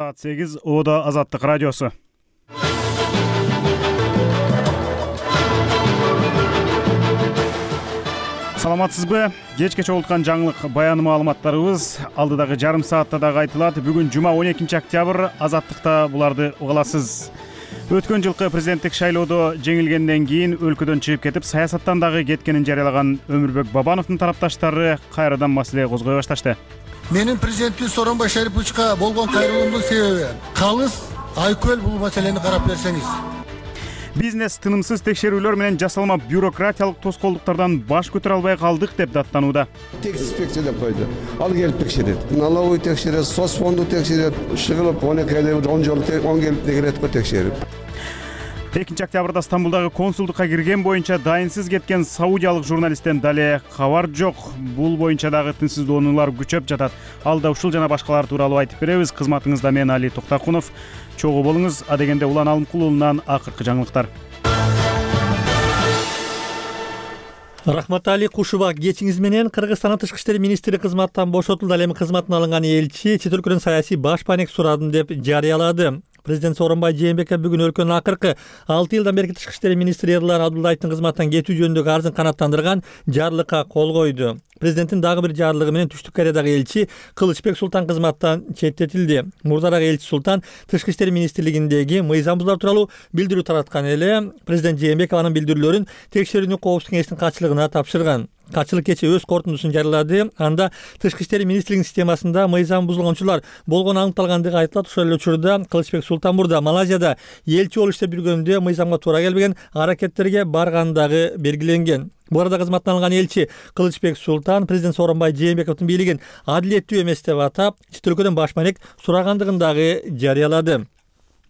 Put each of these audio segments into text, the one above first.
Саат 8 Ода Азаттык радиосу. Саламатсызбы? Кечке чогулткан жаңылык баяны маалыматтарыбыз алдыдагы жарым саатта дагы айтылат. Бүгүн жума 12 октябрь. Азаттыкта буларды уга аласыз. Өткөн жылкы президенттик шайлоодо жеңилгенден кийин өлкөдөн чыгып кетип, саясаттан дагы кеткенин жарыялаган Өмүрбек Бабановдун тарапташтары кайрадан маселе козгой башташты. Менин президенттик Сооронбай Шариповичке болгон кайрылуумдун себеби калыс айкөл бул маселени карап берсеңиз. Бизнес тынымсыз текшерүүлөр менен жасалма бюрократиялык тоскоолдуктардан баш көтөрө албай калдык деп даттанууда. Инспекция деп койду. Ал келип текшерет. Налоговый текшерет, соцфонду текшерет, шыгылып 12 айда 10 жолу 10 келип текшеретке текшерип. 2 октябрда Стамбулдагы консулдукка кирген боюнча дайынсыз кеткен саудиялык журналисттен дале кабар жок. Бул боюнча дагы тынчсыздоонуулар күчөп жатат. Алда ушул жана башкалар тууралуу айтып беребиз. Кызматыңызда мен Али Токтакунов. Чогуу болуңуз. Адегенде Улан Алымкулуулунан акыркы жаңылыктар. Рахматали Кушуба кечиңиз менен Кыргызстандын тышкы иштер министри кызматтан бошотулду. Ал эми кызматына алынган элчи чет өлкөдөн саясий баш паек сурадым деп жарыялады. Президент Сооронбай Жээнбеков бүгүн өлкөнүн акыркы 6 жылдан берки тышкы иштер министри Эрлан Абдуллаевдин кызматтан кетүү жөнүндөгү арызын канааттандырган жарлыкка кол койду. Президенттин дагы бир жарлыгы менен Түштүк Кореядагы элчи Кылычбек Султан кызматтан четтетилди. Мурдараак элчи Султан тышкы иштер министрлигиндеги мыйзам бузуулар тууралуу билдирүү тараткан эле. Президент Жээнбеков анын билдирүүлөрүн текшерүүнү коопсуздук кеңешинин катчылыгына тапшырган. Катчылык кечээ өз корутундусун жарыялады. Анда тышкы иштер министрлигинин системасында мыйзам бузулган болгону аныкталгандыгы айтылат. Ошол эле учурда Кылычбек Султан мурда Малайзияда элчи болуп иштеп жүргөндө мыйзамга туура келбеген аракеттерге баргандыгы белгиленген. Бу арада кызматтан алынган элчи Кылычбек Султан президент Сооронбай Жээнбековдун бийлигин адилеттүү эмес деп атап, чет өлкөдөн баш маек сурагандыгын дагы жарыялады.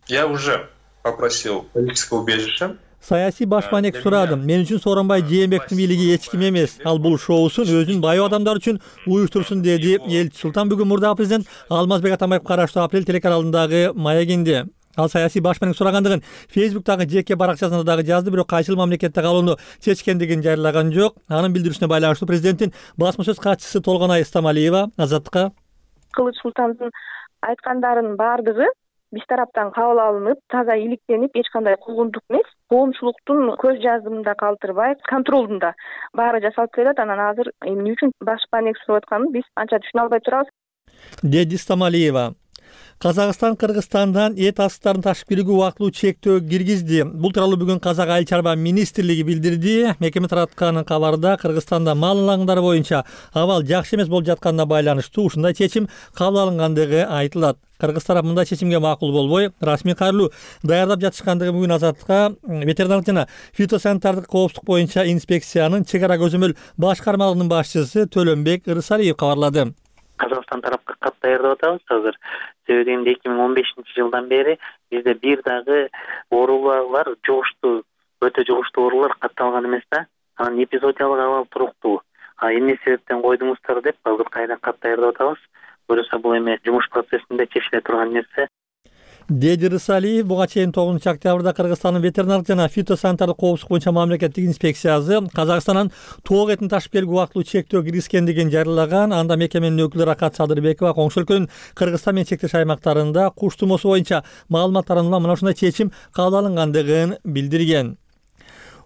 Я уже попросил политическое убежище. Саясий баш маек сурадым. Мен үчүн Сооронбай Жээнбековдун бийлиги эч ким эмес. Ал бул шоусун өзүнүн байоо адамдар үчүн уюштурсун, деди элчи Султан бүгүн мурдагы президент Алмазбек Атамбаев караштуу Апрель телеканалындагы маегинде. Ал саясий баш маек сурагандыгын Фейсбуктагы жеке баракчасында дагы жазды, бирок кайсыл мамлекетте калууну чечкендигин жарыялаган жок. Анын билдирүүсүнө байланыштуу президенттин басма сөз катчысы Толгонай Стамалиева Азаттыкка: Кылыч Султандын айткандарынын баардыгы биз тараптан кабыл алынып, таза иликтенип, эч кандай куугунтук эмес, коомчулуктун көз жазымында калтырбай, контролдунда баары жасалып келет. Анан азыр эмне үчүн баш маек суруп атканын биз анча түшүнө албай турабыз, деди Стамалиева. Казакстан Кыргызстандан эт астыктарын ташып кирүүгө убактылуу чектөө киргизди. Бул тууралуу бүгүн Казак айыл чарба министрлиги билдирди. Мекеме тараткан кабарда Кыргызстанда мал алаңдары боюнча абал жакшы эмес болуп жатканына байланыштуу ушундай чечим кабыл алынгандыгы айтылат. Кыргыз тарап мындай чечимге макул болбой, расмий кайрылуу даярдап жатышкандыгы бүгүн Азаттыкка ветеринардык жана фитосанитардык коопсуздук боюнча инспекциянын чек ара көзөмөл башкармалыгынын башчысы Төлөнбек Ырысалиев кабарлады. Казакстан тарапка кат даярдап атабыз азыр. Себеби 2015-жылдан бери бизде бир дагы оорулар жугуштуу, өтө жугуштуу оорулар катталган эмес да. Анан эпизодиялык абал туруктуу. Эмне себептен койдуңуздар деп азыр кайра кат даярдап атабыз. Көрөсө бул эми жумуш процессинде чечиле турган нерсе. Деди Рысалиев буга чейин 9 октябрда Кыргызстандын ветеринардык жана фитосанитардык коопсуздук боюнча мамлекеттик инспекциясы Казакстандан тоок этин ташып келүүгө убактылуу чектөө киргизгендигин жарыялаган. Анда мекеменин өкүлү Ракат Садырбекова коңшу өлкөнүн Кыргызстан менен чектеш аймактарында куш тумоосу боюнча маалымат таратууга мына ушундай чечим кабыл алынгандыгын билдирген.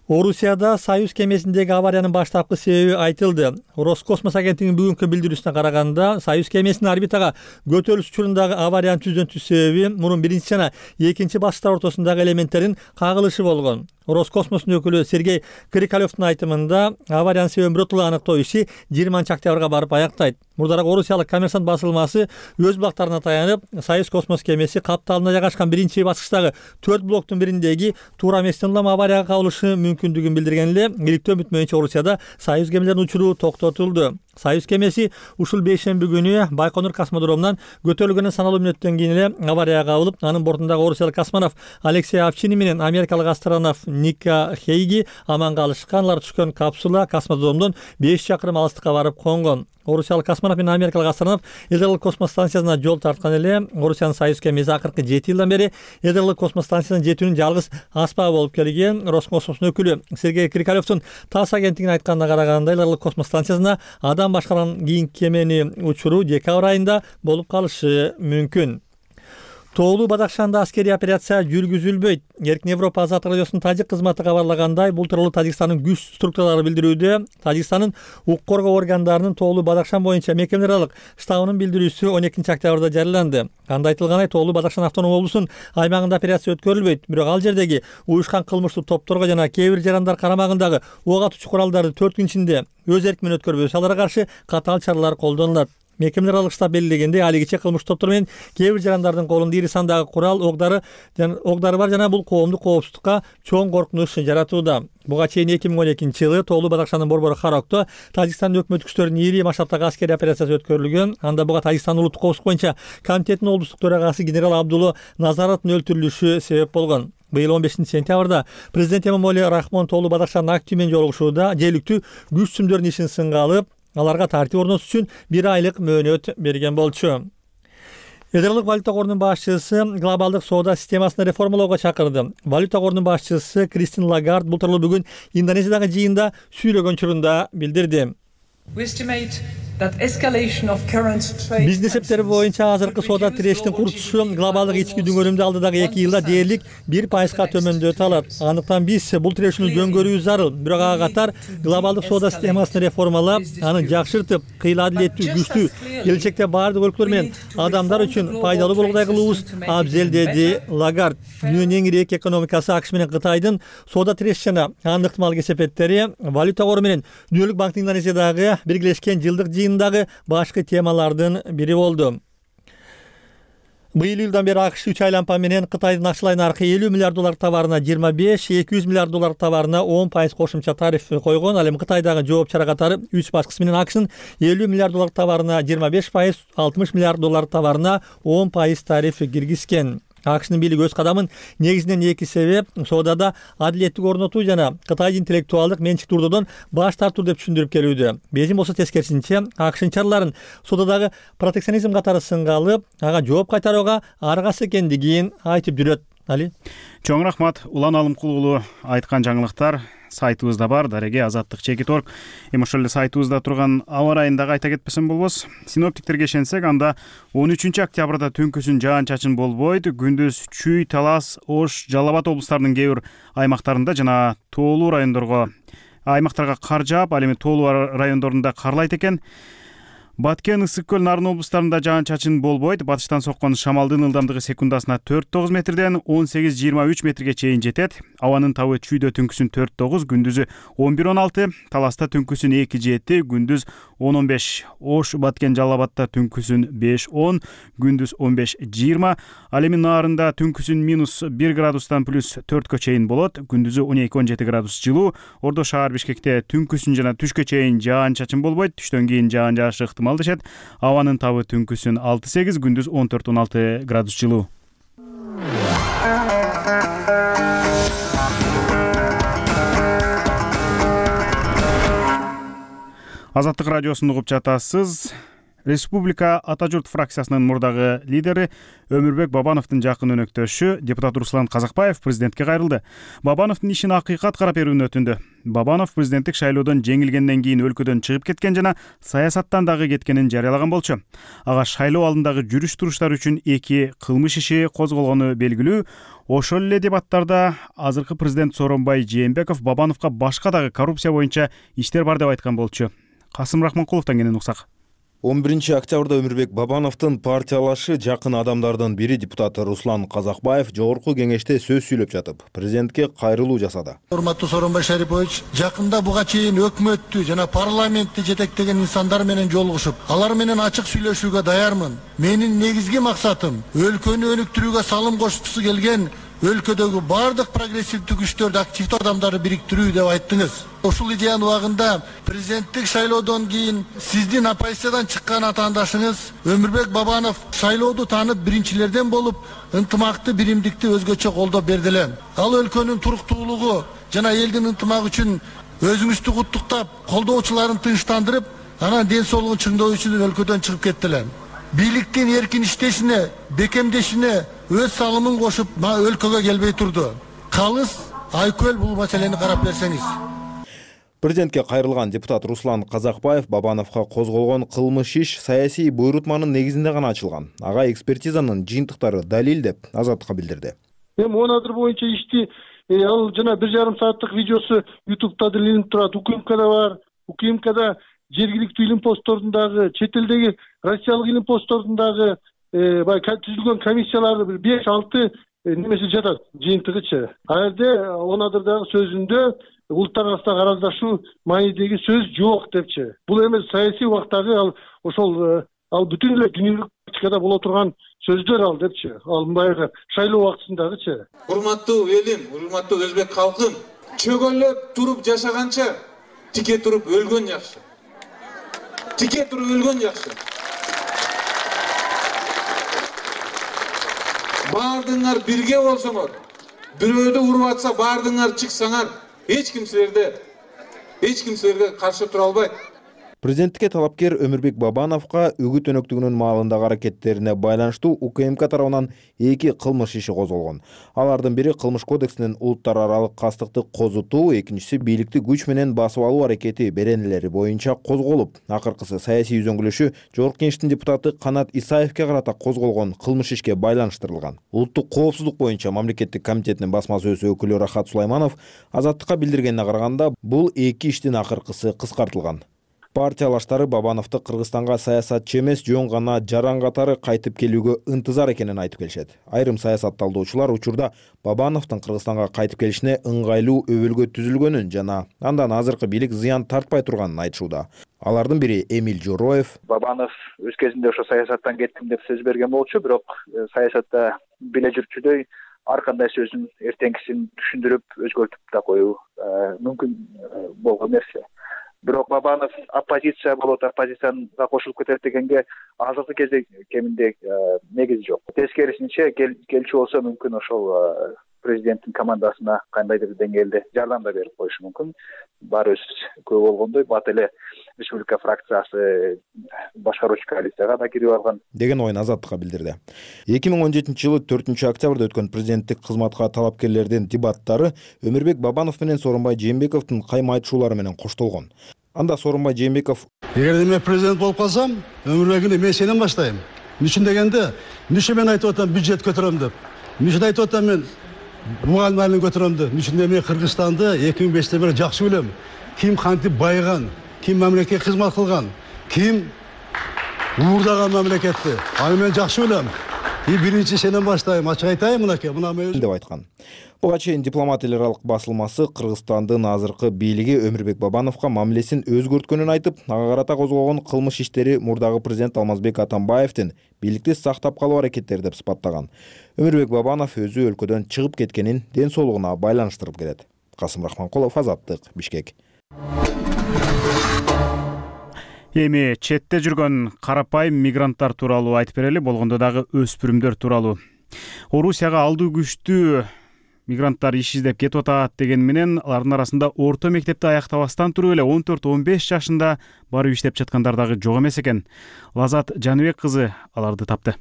Орусияда Союз кемесиндеги авариянын баштапкы себеби айтылды. Роскосмос агенттигинин бүгүнкү билдирүүсүнө караганда, Союз кемесинин орбитага көтөрүлүш учурундагы авариянын түздөн-түз себеби мурун биринчи жана экинчи баскычтар ортосундагы элементтердин кагылышы болгон. Роскосмостун өкүлү Сергей Крикалевдин айтымында авариянын себебин биротоло аныктоо иши 20 октябрга барып аяктайт. Мурдараак орусиялык Коммерсант басылмасы өз бактарына таянып, Союз космос кемеси капталында жайгашкан биринчи баскычтагы 4 блоктун бириндеги туура эместен улам аварияга кабылышы мүмкүндүгүн билдирген эле. Иликтөө үмүт боюнча Орусияда Союз кемелеринин учуру токтотулду. Союз кемеси ушул бейшемби күнү Байконур космодромунан көтөрүлгөндөн саналуу мүнөттөн кийин эле аварияга кабылып, анын бортундагы орусиялык космонавт Алексей Овчинин менен америкалык астронавт Ника Хейги аман калышкан. Алар түшкөн капсула космодромдон 5 чакырым алыстыкка барып конгон. Орусиялык космонавт менен америкалык астронавт Ядролук космос станциясына жол тарткан эле. Орусиянын Союз кемеси акыркы 7 жылдан бери Ядролук космос станциясына жетүүнүн жалгыз аспабы болуп келген. Роскосмостун өкүлү Сергей Крикалевдин ТАСС агенттигине айтканына караганда, Ядролук космос станциясына адам башкарган кийинки кемени учуру декабрь айында болуп калышы мүмкүн. Тоолуу Бадахшанда аскерий операция жүргүзүлбөйт. Эркин Европа Азаттык радиосунун тажик кызматы кабарлагандай, бул тууралуу Тажикстандын күч структуралары билдирүүдө. Тажикстандын укук коргоо органдарынын Тоолуу Бадахшан боюнча мекемелераралык штабынын билдирүүсү 12 октябрда жарыяланды. Анда айтылгандай, Тоолуу Бадахшан автономдук облусунун аймагында операция өткөрүлбөйт. Бирок ал жердеги уюшкан кылмыштуу топторго жана кээ бир жарандар карамагындагы ок атуучу куралдарды 4 күн ичинде өз эрки менен өткөрбөсө, аларга каршы катаал чаралар колдонулат. Мекемелераралык штаб белгилегендей, алигиче кылмыштуу топтор менен кээ бир жарандардын колунда ири сандагы курал, оғдары бар жана бул коомдук коопсуздукка чоң коркунуч жаратууда. Буга чейин 2012-жылы Тоолуу Бадахшандын борбору Харокто Тажикстандын өкмөттүк күчтөрүнүн ири масштабтагы аскерий операциясы өткөрүлгөн. Анда буга Тажикстандын улуттук коопсуздук боюнча комитеттин облустук төрагасы генерал Абдулло Назаровдун өлтүрүлүшү себеп болгон. Быйыл 15-сентябрда президент Эмомали Рахмон Тоолуу Бадахшандын активи менен жолугушууда жергиликтүү күч сүмдөрдүн ишин сынга алып, аларга тартип орнотуш үчүн 1 айлык мөөнөт берген болчу. Эдералык валюта корунун башчысы глобалдык соода системасын реформалоого чакырды. Валюта корунун башчысы Кристин Лагард бул тууралуу бүгүн Индонезиядагы жыйында сүйлөгөн учурунда билдирди. Биздин эсептер боюнча азыркы соода тирештин курчушу глобалдык ички дүңгөрүмдү алдыдагы 2 жылда дээрлик 1%га төмөндөтө алат. Андыктан биз бул тирешүүнү дөңгөрүү зарыл. Бирок ага катар глобалдык соода системасын реформалап, аны жакшыртып, кыйла адилеттүү, күчтүү, келечекте баардык өлкөлөр менен адамдар үчүн пайдалуу болгудай кылуубуз абзел, деди Лагард. Дүйнөнүн эң ири эки экономикасы АКШ менен Кытайдын соода тиреш жана анын ыктымал кесепеттери валюта кору менен Дүйнөлүк банктын Индонезиядагы биргелешкен жылдык жыйындагы башкы темалардын бири болду. Быйыл июлдан бери АКШ 3 айлампа менен Кытайдын акчалай наркы $50 миллиард товарына 25, $200 миллиард товарына 10% кошумча тариф койгон. Ал эми Кытайдагы жооп чара катары 3 башкысы менен АКШнын $50 миллиард товарына 25%, $60 миллиард товарына 10% тариф киргизген. АКШнын бийлиги өз кадамын негизинен 2 себеп соодада адилеттик орнотуу жана Кытайдын интеллектуалдык менчик турдодон баш тартуу деп түшүндүрүп келүүдө. Бейжиң болсо тескерисинче АКШнын чараларын соодадагы протекционизм катары сынга алып, ага жооп кайтарууга аргасы экендигин айтып жүрөт. Али. Чоң рахмат. Улан Алымкулуулу айткан жаңылыктар сайтыбызда бар, дареге azаттык.org. Эми ошол эле сайтыбызда турган аба ырайын дагы айта кетпесем болбос. Синоптиктерге ишенсек, анда 13 октябрда түнкүсүн жаан-чачын болбойт. Күндүз Чүй, Талас, Ош, Жалал Абад облустарынын кээ бир аймактарында жана тоолуу аймактарга кар жаап, ал эми тоолуу райондорунда карлайт экен. Баткен, Ысык көл, Нарын облустарында жаан-чачын болбойт. Батыштан соккон шамалдын ылдамдыгы секундасына 4-9 метрден 18-23 метрге чейин жетет. Абанын табы Чүйдө түнкүсүн 4-9, күндүзү 11-16, Таласта түнкүсүн 2-7, күндүз 10-15. Ош, Баткен, Жалал Абадта түнкүсүн 5-10, күндүз 15-20. Ал эми Нарында түнкүсүн -1 градустан +4 чейин болот, күндүзү 12-17 градус жылуу. Ордо шаар Бишкекте түнкүсүн жана түшкө чейин жаан-чачын болбойт, түштөн кийин жаан жаашы ыктымал дешет. Абанын табы түнкүсүн 6-8, күндүз 14-16 градус жылуу. Азаттык радиосун угуп жатасыз. Республика Ата журт фракциясынын мурдагы лидери Өмүрбек Бабановдун жакын өнөктөшү депутат Руслан Казакбаев президентке кайрылды. Бабановдун ишин акыйкат карап берүүнү өтүндү. Бабанов президенттик шайлоодон жеңилгенден кийин өлкөдөн чыгып кеткен жана саясаттан дагы кеткенин жарыялаган болчу. Ага шайлоо алдындагы жүрүш-туруштар үчүн 2 кылмыш иши козголгону белгилүү. Ошол эле дебаттарда азыркы президент Сооронбай Жээнбеков Бабановго башка дагы коррупция боюнча иштер бар деп айткан болчу. Касым Рахманкуловдон кенен уксак. 11 октябрда Өмүрбек Бабановдун партиялашы жакын адамдардын бири депутат Руслан Казакбаев жогорку кеңеште сөз сүйлөп жатып, президентке кайрылуу жасады. Урматтуу Сооронбай Шарипович, жакында буга чейин өкмөттү жана парламентти жетектеген инсандар менен жолугушуп, алар менен ачык сүйлөшүүгө даярмын. Менин негизги максатым өлкөнү өнүктүрүүгө салым кошкусу келген өлкөдөгү бардык прогрессивдүү күчтөрдү, активдүү адамдарды бириктирүү деп айттыңыз. Ушул идеянын убагында президенттик шайлоодон кийин сиздин оппозициядан чыккан атаандашыңыз Өмүрбек Бабанов шайлоодо таанып биринчилерден болуп, ынтымакты, биримдикти өзгөчө колдоп берди эле. Ал өлкөнүн туруктуулугу жана элдин ынтымагы үчүн өзүңүздү куттуктап, колдоочуларын тынчтандырып, анан ден соолугун чыңдоо үчүн өлкөдөн чыгып кеттилер. Бийликтин эркин иштешине, бекемдешине өз салымын кошуп, өлкөгө келбей турду. Калыс Айкөл бул маселени карап берсеңиз. Президентке кайрылган депутат Руслан Казакбаев Бабановго козголгон кылмыш иш саясий буйрутманын негизинде гана ачылган. Ага экспертизанын жыйынтыктары далил деп Азаттыкка билдирди. Эми 10 адыр боюнча ишти ал жана 1,5 сааттык видеосу YouTube'да илинип турат. УКМКда бар. УКМКда жергиликтүү илим постторундагы, чет элдеги россиялык илим постторундагы баягы түзүлгөн комиссияларды 5-6 немеси жатат жыйынтыгычы. Ал жерде 10 адырдагы сөзүндө улуттар арасындагы араздашуу маанидеги сөз жок депчи. Бул эмес саясий убактагы ал бүтүн эле дүйнөлүк практикада боло турган сөздөр ал депчи. Ал баягы шайлоо убактысындагычы. Урматтуу элим, урматтуу өзбек калкым, чөгөлөп туруп жашаганча тике туруп өлгөн жакшы. Тике туруп өлгөн жакшы. Бардыңар бирге болсоңор, бирөөдү уруп атса бардыңар чыксаңар, эч ким силерге каршы тура албайт. Президенттикке талапкер Өмүрбек Бабановго үгүт өнөктүгүнүн маалындагы аракеттерине байланыштуу УКМК тарабынан 2 кылмыш иши козголгон. Алардын бири кылмыш кодексинин улуттар аралык кастыкты козутуу, экинчиси бийликти күч менен басып алуу аракети беренелери боюнча козголуп, акыркысы саясий үзөңгүлөшүү Жогорку Кеңештин депутаты Канат Исаевке карата козголгон кылмыш ишке байланыштырылган. Улуттук коопсуздук боюнча мамлекеттик комитетинин басма сөз өкүлү Рахат Сулайманов Азаттыкка билдиргенине караганда, бул 2 иштин акыркысы кыскартылган. Партиялаштары Бабановду Кыргызстанга саясатчы эмес, жөн гана жаран катары кайтып келүүгө ынтызар экенин айтып келишет. Айрым саясат талдоочулар учурда Бабановдун Кыргызстанга кайтып келишине ыңгайлуу өбөлгө түзүлгөнүн жана андан азыркы бийлик зыян тартпай турганын айтышууда. Алардын бири Эмиль Жороев. Бабанов өз кезинде ошо саясаттан кеттим деп сөз берген болчу, бирок саясатта биле жүрчүдөй ар кандай сөзүн эртеңкисин түшүндүрүп өзгөртүп да коюу мүмкүн болгон нерсе. Бирок Бабанов оппозиция болот, оппозициянга кошулуп кетет дегенге азыркы кезде кеминде негиз жок. Тескерисинче келчү болсо мүмкүн ошол президенттин командасына кандайдыр деңгээлде жардам да берип коюшу мүмкүн. Баарыбыз көп болгондой бат эле республика фракциясы башкаруучу коалицияга да кирип алган деген оюн Азаттыкка билдирди. 2017-жылы 4-октябрда өткөн президенттик кызматка талапкерлердин дебаттары Өмүрбек Бабанов менен Сооронбай Жээнбековдун кайма айтышуулары менен коштолгон. Анда Сооронбай Жээнбеков: "Эгерде мен президент болуп калсам, Өмүрбекти мен сенен баштайм. Үчүн дегенде, үчүн мен айтып атам бюджет көтөрөм деп. Үчүн айтып атам мен мугалим айылын көтөрөм деп. Үчүн мен Кыргызстанды 2005-те бери жакшы билем. Ким кантип байыган, ким мамлекетке кызмат кылган, ким уурдаган мамлекетти. Аны мен жакшы билем. Биринчи сенен баштайм, ачык айтайын мынакей, мына мен деп айткан. Буга чейин дипломат эл аралык басылмасы Кыргызстандын азыркы бийлиги Өмүрбек Бабановго мамилесин өзгөрткөнүн айтып, ага карата козголгон кылмыш иштери мурдагы президент Алмазбек Атамбаевдин бийликти сактап калуу аракеттери деп сыпаттаган. Өмүрбек Бабанов өзү өлкөдөн чыгып кеткенин ден соолугуна байланыштырып келет. Касым Рахманкулов, Азаттык, Бишкек. Эми четте жүргөн карапайым мигранттар тууралуу айтып берели, болгондо дагы өспүрүмдөр тууралуу. Орусияга алдуу күчтүү мигранттар иш издеп кетип атат деген менен алардын арасында орто мектепти аяктабастан туруп эле 14-15 жашында барып иштеп жаткандар дагы жок эмес экен. Лазат Жаныбек кызы аларды тапты.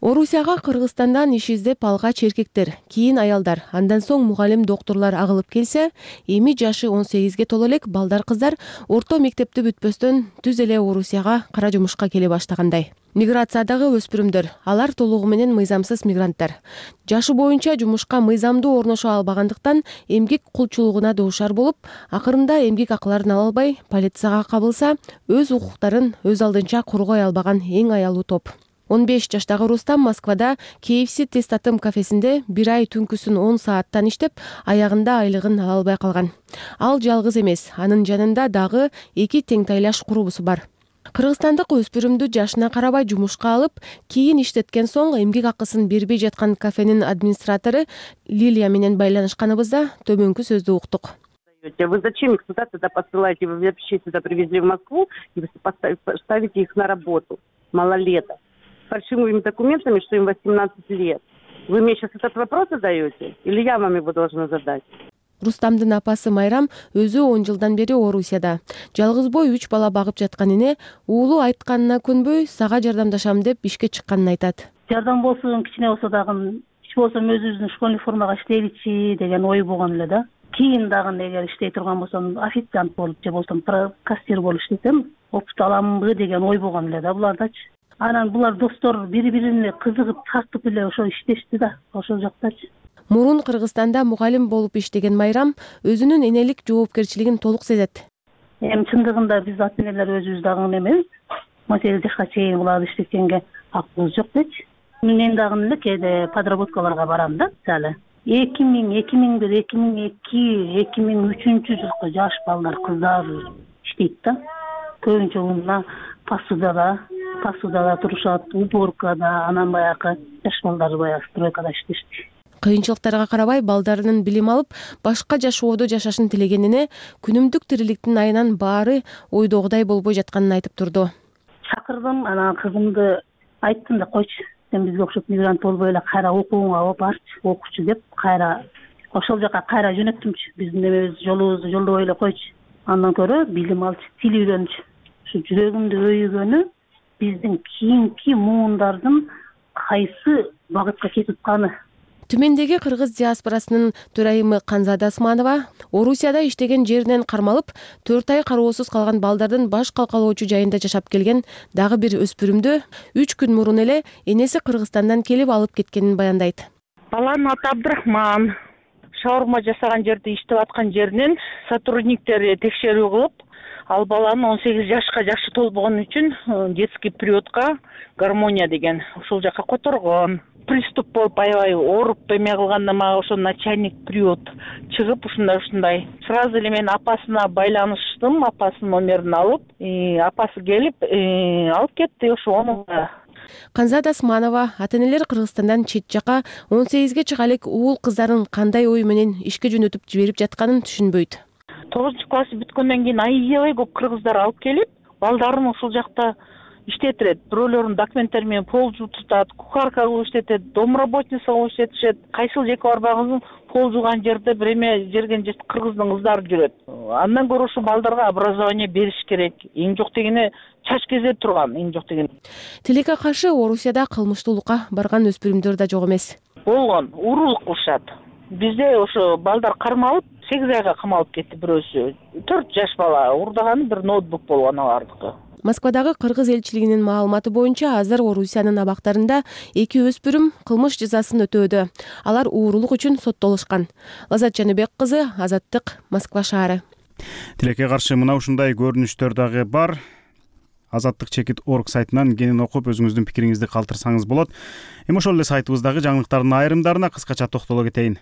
Орусияга Кыргызстандан иш издеп алгач эркектер, кийин аялдар, андан соң мугалим доктурлар агылып келсе, эми жашы 18ге толо элек балдар кыздар орто мектепти бүтпөстөн түз эле Орусияга кара жумушка келе баштагандай. Миграциядагы өспүрүмдөр, алар толугу менен мыйзамсыз мигранттар. Жашы боюнча жумушка мыйзамдуу орношо албагандыктан эмгек кулчулугуна дуушар болуп, акырында эмгек акыларын ала албай, полицияга кабылса, өз укуктарын өз алдынча коргой албаган эң аялуу топ. 15 жаштагы Рустам Москвада KFC Тестатым кафесинде 1 ай түнкүсүн 10 сааттан иштеп, аягында айлыгын ала албай калган. Ал жалгыз эмес, анын жанында дагы 2 теңтайлаш курбусу бар. Кыргызстандык өспүрүмдү жашына карабай жумушка алып, кийин иштеткен соң эмгек акысын бербей жаткан кафенин администратору Лилия менен байланышканыбызда төмөнкү сөздү уктук. Вы зачем их сюда посылаете? Вы вообще сюда привезли в Москву и ставите их на работу, малолеток, фальшивыми документами, что им 18 лет. Вы мне сейчас этот вопрос задаете? Или я вам его должна задать? Рустамдын апасы Майрам өзү 10 жылдан бери Орусияда. Жалгыз бой 3 бала багып жаткан эне уулу айтканына көнбөй, сага жардамдашам деп ишке чыкканын айтат. Жардам болсун, кичине болсо дагы, иш болсо өзүбүздүн школьный формага иштейличи деген ой болгон эле да. Кийин дагы эгер иштей турган болсом, официант болуп же болсом кассир болуп иштесем, опыт аламбы деген ой болгон эле да булардачы. Анан булар достор бири-бирине кызыгып, тартып эле ошо иштешти да, ошол жактачы. Мурун Кыргызстанда мугалим болуп иштеген Майрам өзүнүн энелик жоопкерчилигин толук сезет. Чындыгында биз ата-энелер өзүбүз дагы эмес, 18 жашка чейин буларды иштеткенге акыбыз жок дечи. Мен дагы эле кээде подработкаларга барам да, мисалы 2000, 2001, 2002, 2003 жылкы жаш балдар, кыздар иштейт да. Көбүнчө мына посудада турушат, уборкада, анан баягы жаш балдар баягы стройкада иштешти. Кыйынчылыктарга карабай балдарынын билим алып, башка жашоодо жашашын тилегенине, күнүмдүк тириликтин айынан баары ойдогудай болбой жатканын айтып турду. Чакырдым, анан кызымды айттым да, койчу, сен бизге окшоп мигрант болбой эле кайра окууңа барчы, окучу деп, кайра ошол жака кайра жөнөттүмчү. Биздин эмебиз жолубузду жолдобой эле койчу. Андан көрө билим алчы, тил үйрөнчү. Ушу жүрөгүмдү өйгөнү биздин кийинки муундардын кайсы багытка кетип атканы. Түмендеги кыргыз диаспорасынын төрайымы Канзада Асманова Орусияда иштеген жеринен кармалып, 4 ай кароосуз калган балдардын баш калкалоочу жайында жашап келген дагы бир өспүрүмдү 3 күн мурун эле энеси Кыргызстандан келип алып кеткенин баяндайт. Баланын аты Абдрахман. Шаурма жасаган жерде иштеп аткан жеринен сотрудниктери текшерүү кылып, ал баланы 18 жашка жашы толбогон үчүн детский приютка Гармония деген ушул жака которгон. Приступ болуп аябай ооруп эме кылганда мага ошо начальник приют чыгып ушундай. Сразу эле мен апасына байланыштым, апасынын номерин алып, апасы келип алып кетти ошону. Канзада Асманова ата-энелер Кыргызстандан чет жака 18ге чыга элек уул кыздарын кандай ой менен ишке жөнөтүп жиберип жатканын түшүнбөйт. 9-класс бүткөндөн кийин аябай көп кыргыздар алып келип, балдарын ушул жакта иштетирет. Бирөөлөрүнүн документтери менен пол жуутат, кухарка кылып иштетет, домработница кылып иштетишет. Кайсыл жеке барбагыз пол жууган жерде бир эме жерген кыргыздын кыздары жүрөт. Андан көрө ушу балдарга образование бериш керек. Эң жок дегене чач кезе турган, эң жок дегене. Тилекке каршы Орусияда кылмыштуулукка барган өспүрүмдөр да жок эмес. Болгон, уурулук кылышат. Бизде ошо балдар кармалып 8 айга камалып кетти бирөөсү. 4 жаш бала уурдаганы бир ноутбук болгон алардыкы. Москвадагы кыргыз элчилигинин маалыматы боюнча азыр Орусиянын абактарында 2 өспүрүм кылмыш жазасын өтөөдө. Алар уурулук үчүн соттолушкан. Лазат Жаныбек кызы, Азаттык, Москва шаары. Тилекке каршы мына ушундай көрүнүштөр дагы бар. Азаттык.org сайтынан кенен окуп өзүңүздүн пикириңизди калтырсаңыз болот. Эми ошол эле сайтыбыздагы жаңылыктардын айрымдарына кыскача токтоло кетейин.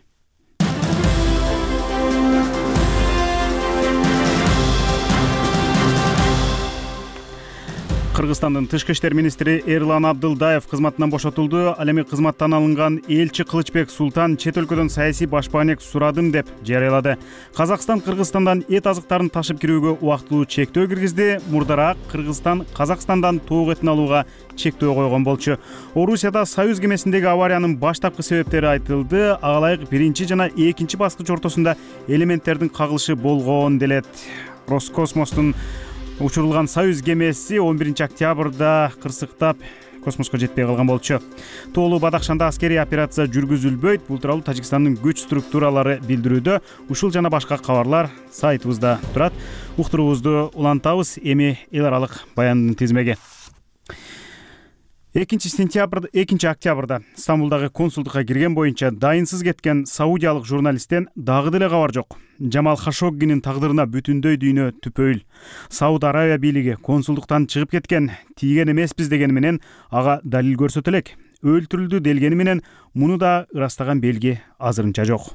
Кыргызстандын тышкы иштер министри Эрлан Абдылдаев кызматынан бошотулду. Ал эми кызматтан алынган элчи Кылычбек Султан чет өлкөдөн саясий башпаанек сурадым деп жарыялады. Казакстан Кыргызстандан эт азыктарын ташып кирүүгө убактылуу чектөө киргизди. Мурдараак Кыргызстан Казакстандан тоок этин алууга чектөө койгон болчу. Орусияда Союз кемесиндеги авариянын баштапкы себептери айтылды. Ага ылайык 1 жана 2 баскыч ортосунда элементтердин кагылышы болгон делет. Роскосмостун учурулган Союз кемеси 11 октябрда кырсыктап космоско жетпей калган болчу. Тоолуу Бадахшанда аскерий операция жүргүзүлбөйт. Бул тууралуу Тажикстандын күч структуралары билдирүүдө. Ушул жана башка кабарлар сайтыбызда турат. Уктуруубузду улантабыз. Эми эл аралык баяндын тизмеги. 2 октябрда Стамбулдагы консулдукка кирген боюнча дайынсыз кеткен саудиялык журналисттен дагы деле кабар жок. Джамал Хашоггинин тагдырына бүтүндөй дүйнө түпөйүл. Сауд Арабия бийлиги консулдуктан чыгып кеткен, тийген эмеспиз дегени менен ага далил көрсөтө элек. Өлтүрүлдү делгени менен муну да ырастаган белги азырынча жок.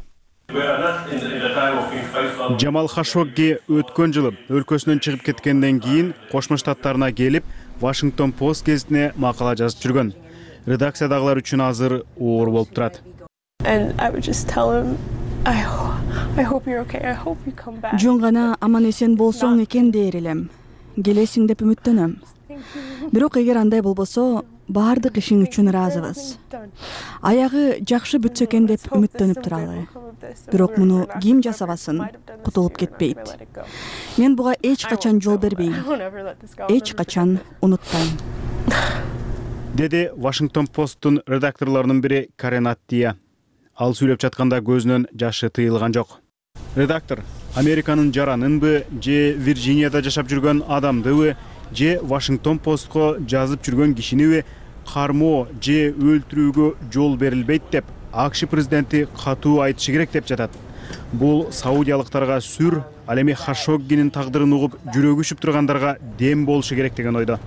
Джамал Хашогги өткөн жылы өлкөсүнөн чыгып кеткенден кийин Кошмо Штаттарына келип, Washington Post гезитине макала жазып жүргөн. Редакциядагылар үчүн азыр оор болуп турат. Жөн гана аман эсен болсоң экен дээр элем. Келесиң деп үмүттөнөм. Бирок эгер андай болбосо, баардык ишиң үчүн ыраазыбыз. Аягы жакшы бүтсө экен деп үмүттөнүп туралы. Бирок муну ким жасабасын, кутулуп кетпейт. Мен буга эч качан жол бербейм. Эч качан унутпайм. Деди Washington Post'тун редакторлорунун бири Карен Аттия. Ал сүйлөп жатканда көзүнөн жашы тыйылган жок. Редактор Американын жаранынбы же Вирджинияда жашап жүргөн адамдыбы же Вашингтон Постко жазып жүргөн кишиниби кармоо же өлтүрүүгө жол берилбейт деп АКШ президенти катуу айтышы керек деп жатат. Бул саудиялыктарга сүр, ал эми Хашоггинин тагдырын угуп жүрөгү үшүп тургандарга дем болушу керек деген ойдо.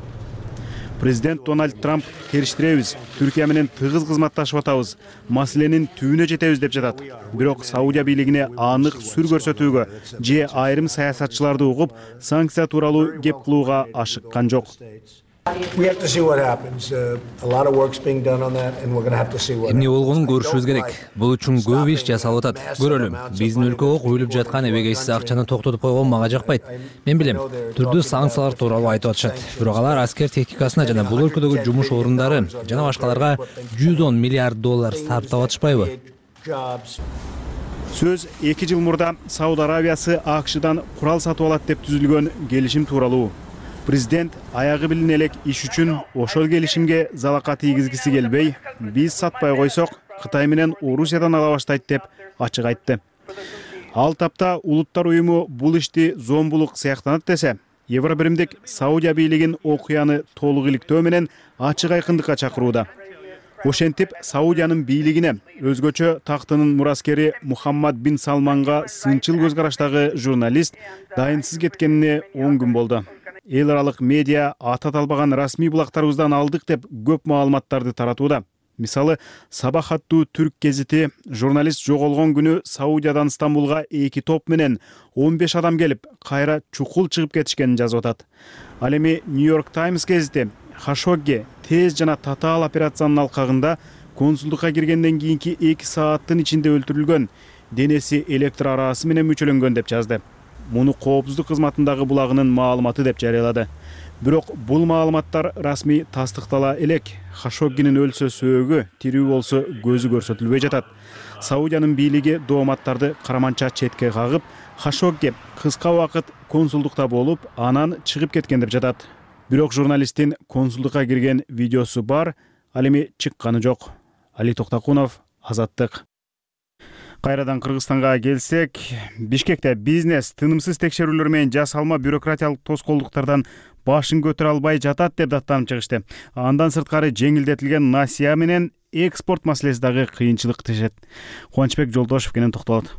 Президент Дональд Трамп териштиребиз, Түркия менен тыгыз кызматташып атабыз, маселенин түбүнө жетебиз деп жатат. Бирок Саудия бийлигине анык сүр көрсөтүүгө же айрым саясатчыларды угуп санкция тууралуу кеп кылууга ашыккан жок. Эмне болгонун көрүшүбүз керек. Бул үчүн көп иш жасалып атат. Көрөлүм. Биздин өлкөгө куюлуп жаткан эбегейсиз акчаны токтотуп койгон мага жакпайт. Мен билем, түрдүү санкциялар тууралуу айтып атышат. Бирок алар аскер техникасына жана бул өлкөдөгү жумуш орундары жана башкаларга $110 миллиард сарптап атышпайбы? Сөз 2 жыл мурда Сауд Арабиясы АКШдан курал сатып алат деп түзүлгөн келишим тууралуу. Президент аягы билине элек иш үчүн ошол келишимге залака тийгизгиси келбей, биз сатпай койсок, Кытай менен Орусиядан ала баштайт деп ачык айтты. Ал тапта Улуттар уюму бул ишти зомбулук сыяктанат десе, Евробиримдик Саудия бийлигин окуяны толук иликтөө менен ачык айкындыкка чакырууда. Ошентип, Саудиянын бийлигине өзгөчө тактынын мураскери Мухаммад бин Салманга сынчыл көз караштагы журналист дайынсыз кеткенине 10 күн болду. Эл аралык медиа атат албаган расмий булактарыбыздан алдык деп көп маалыматтарды таратууда. Мисалы, Сабах аттуу түрк гезити журналист жоголгон күнү Саудиядан Стамбулга 2 топ менен 15 адам келип, кайра чукул чыгып кетишкенин жазып атат. Ал эми Нью-Йорк Таймс гезити Хашогги тез жана татаал операциянын алкагында консулдукка киргенден кийинки 2 сааттын ичинде өлтүрүлгөн, денеси электр арасы менен мүчөлөнгөн деп жазды. Муну коопсуздук кызматындагы булагынын маалыматы деп жарыялады. Бирок бул маалыматтар расмий тастыктала элек. Хашоггинин өлсө сөөгү, тирүү болсо көзү көрсөтүлбөй жатат. Саудиянын бийлиги дооматтарды караманча четке кагып, Хашогги кыска убакыт консулдукта болуп, анан чыгып кеткен деп жатат. Бирок журналисттин консулдукка кирген видеосу бар, ал эми чыкканы жок. Али Токтакунов, Азаттык. Кайрадан Кыргызстанга келсек, Бишкекте бизнес тынымсыз текшерүүлөр менен жасалма бюрократиялык тоскоолдуктардан башын көтөрө албай жатат деп даттанып чыгышты. Андан сырткары жеңилдетилген насыя менен экспорт маселеси дагы кыйынчылык тишет. Кубанычбек Жолдошев кенен токтолот.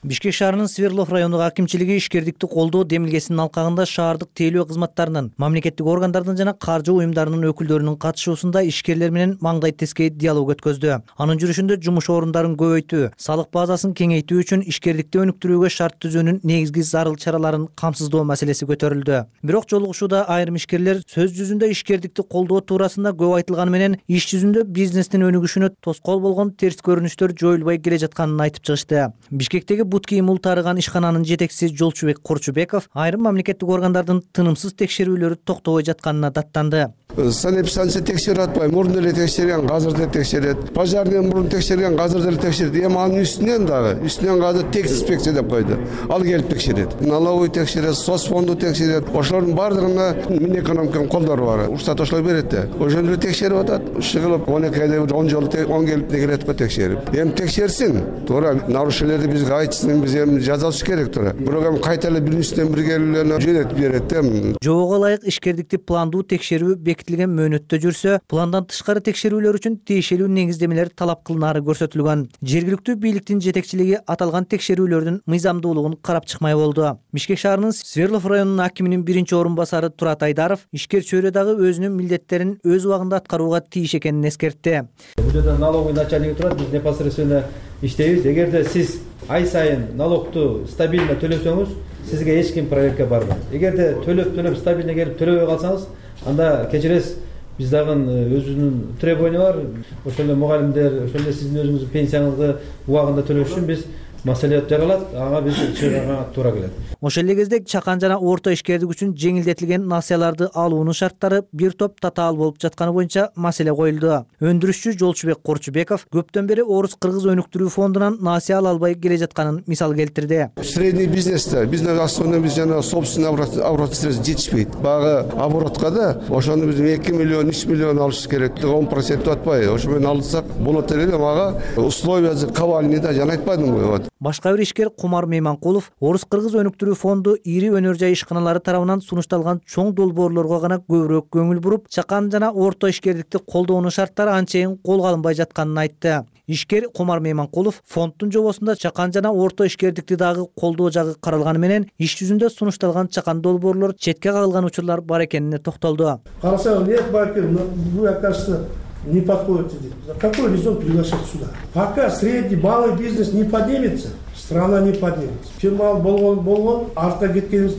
Бишкек шаарынын Свердлов райондук акимчилиги ишкердикти колдоо демилгесинин алкагында шаардык тейлөө кызматтарынын, мамлекеттик органдардын жана каржы уюмдарынын өкүлдөрүнүн катышуусунда ишкерлер менен маңдай тескей диалог өткөздү. Анын жүрүшүндө жумуш орундарын көбөйтүү, салык базасын кеңейтүү үчүн ишкердикти өнүктүрүүгө шарт түзүүнүн негизги зарыл чараларын камсыздоо маселеси көтөрүлдү. Бирок жолугушууда айрым ишкерлер сөз жүзүндө ишкердикти колдоо туурасында көп айтылганы менен иш жүзүндө бизнестин өнүгүшүнө тоскоол болгон терс көрүнүштөр жоюлбай келе жатканын айтып чыгышты. Бишкектеги бут кийим ултарыган ишкананын жетекчиси Жолчубек Корчубеков айрым мамлекеттик органдардын тынымсыз текшерүүлөрү токтобой жатканына даттанды. Санэписанция текшерип атпайбы, мурун эле текшерген, азыр да текшерет. Пожарный мурун текшерген, азыр деле текшерет. Эми анын үстүнөн азыр текс инспекция деп койду. Ал келип текшерет. Налоговый текшерет, соцфонду текшерет. Ошолордун баардыгына Минэкономиканын колдору бар. Уруксат ошолор берет да. Ошондо эле текшерип атат. Шыгылып 12 айда 10 жолу 10 келип келет го текшерип. Эми текшерсин. Туура нарушениелерди бизге айтсын, биз эми жазалыш керек туура. Бирок эми кайта эле биринчиден бир келип жөнөтүп берет да. Жобого ылайык ишкердикти пландуу текшерүү бекитилген мөөнөттө жүрсө, пландан тышкары текшерүүлөр үчүн тиешелүү негиздемелер талап кылынары көрсөтүлгөн. Жергиликтүү бийликтин жетекчилиги аталган текшерүүлөрдүн мыйзамдуулугун карап чыкмай болду. Бишкек шаарынын Свердлов районунун акиминин биринчи орун басары Турат Айдаров ишкер чөйрө дагы өзүнүн милдеттерин өз убагында аткарууга тийиш экенин эскертти. Бул жерде налоговый начальниги турат, биз непосредственно иштейбиз. Эгерде сиз ай сайын налогту стабильно төлөсөңүз, сизге эч ким проверка барбайт. Эгерде төлөп стабильно келип төлөбөй калсаңыз, анда кечиресиз, биз дагы өзүнүн требования бар. Ошондо мугалимдер, ошондо сиздин өзүңүздүн пенсияңызды убагында төлөш үчүн биз маселе жаралат, ага биз чыгарга туура келет. Ошол эле кезде чакан жана орто ишкердик үчүн жеңилдетилген насыяларды алуунун шарттары бир топ татаал болуп жатканы боюнча маселе коюлду. Өндүрүшчү Жолчубек Корчубеков көптөн бери Орус-Кыргыз өнүктүрүү фондунан насыя ала албай келе жатканын мисал келтирди. Средний бизнесте бизнес основной биз жана собственный оборот средств жетишпейт. Багы оборотко да ошону биз 2 миллион, 3 миллион алыш керек. 10% атпайбы. Ошо менен алсак болот эле, мага условия кабальный да жана айтпадымбы. Башка бир ишкер Кумар Мейманкулов Орус-кыргыз өнүктүрүү фонду ири өнөр жай ишканалары тарабынан сунушталган чоң долбоорлорго гана көбүрөөк көңүл буруп, чакан жана орто ишкердикти колдоонун шарттары анчейин колго алынбай жатканын айтты. Ишкер Кумар Мейманкулов фонддун жобосунда чакан жана орто ишкердикти дагы колдоо жагы каралганы менен иш жүзүндө сунушталган чакан долбоорлор четке кагылган учурлар бар экенине токтолду. Карасаң, нет, вы, оказывается, не подходите. Какой резон приглашать сюда? Пока средний, малый бизнес не поднимется, страна не поднимется. Фирмал болгон, арта кеткен.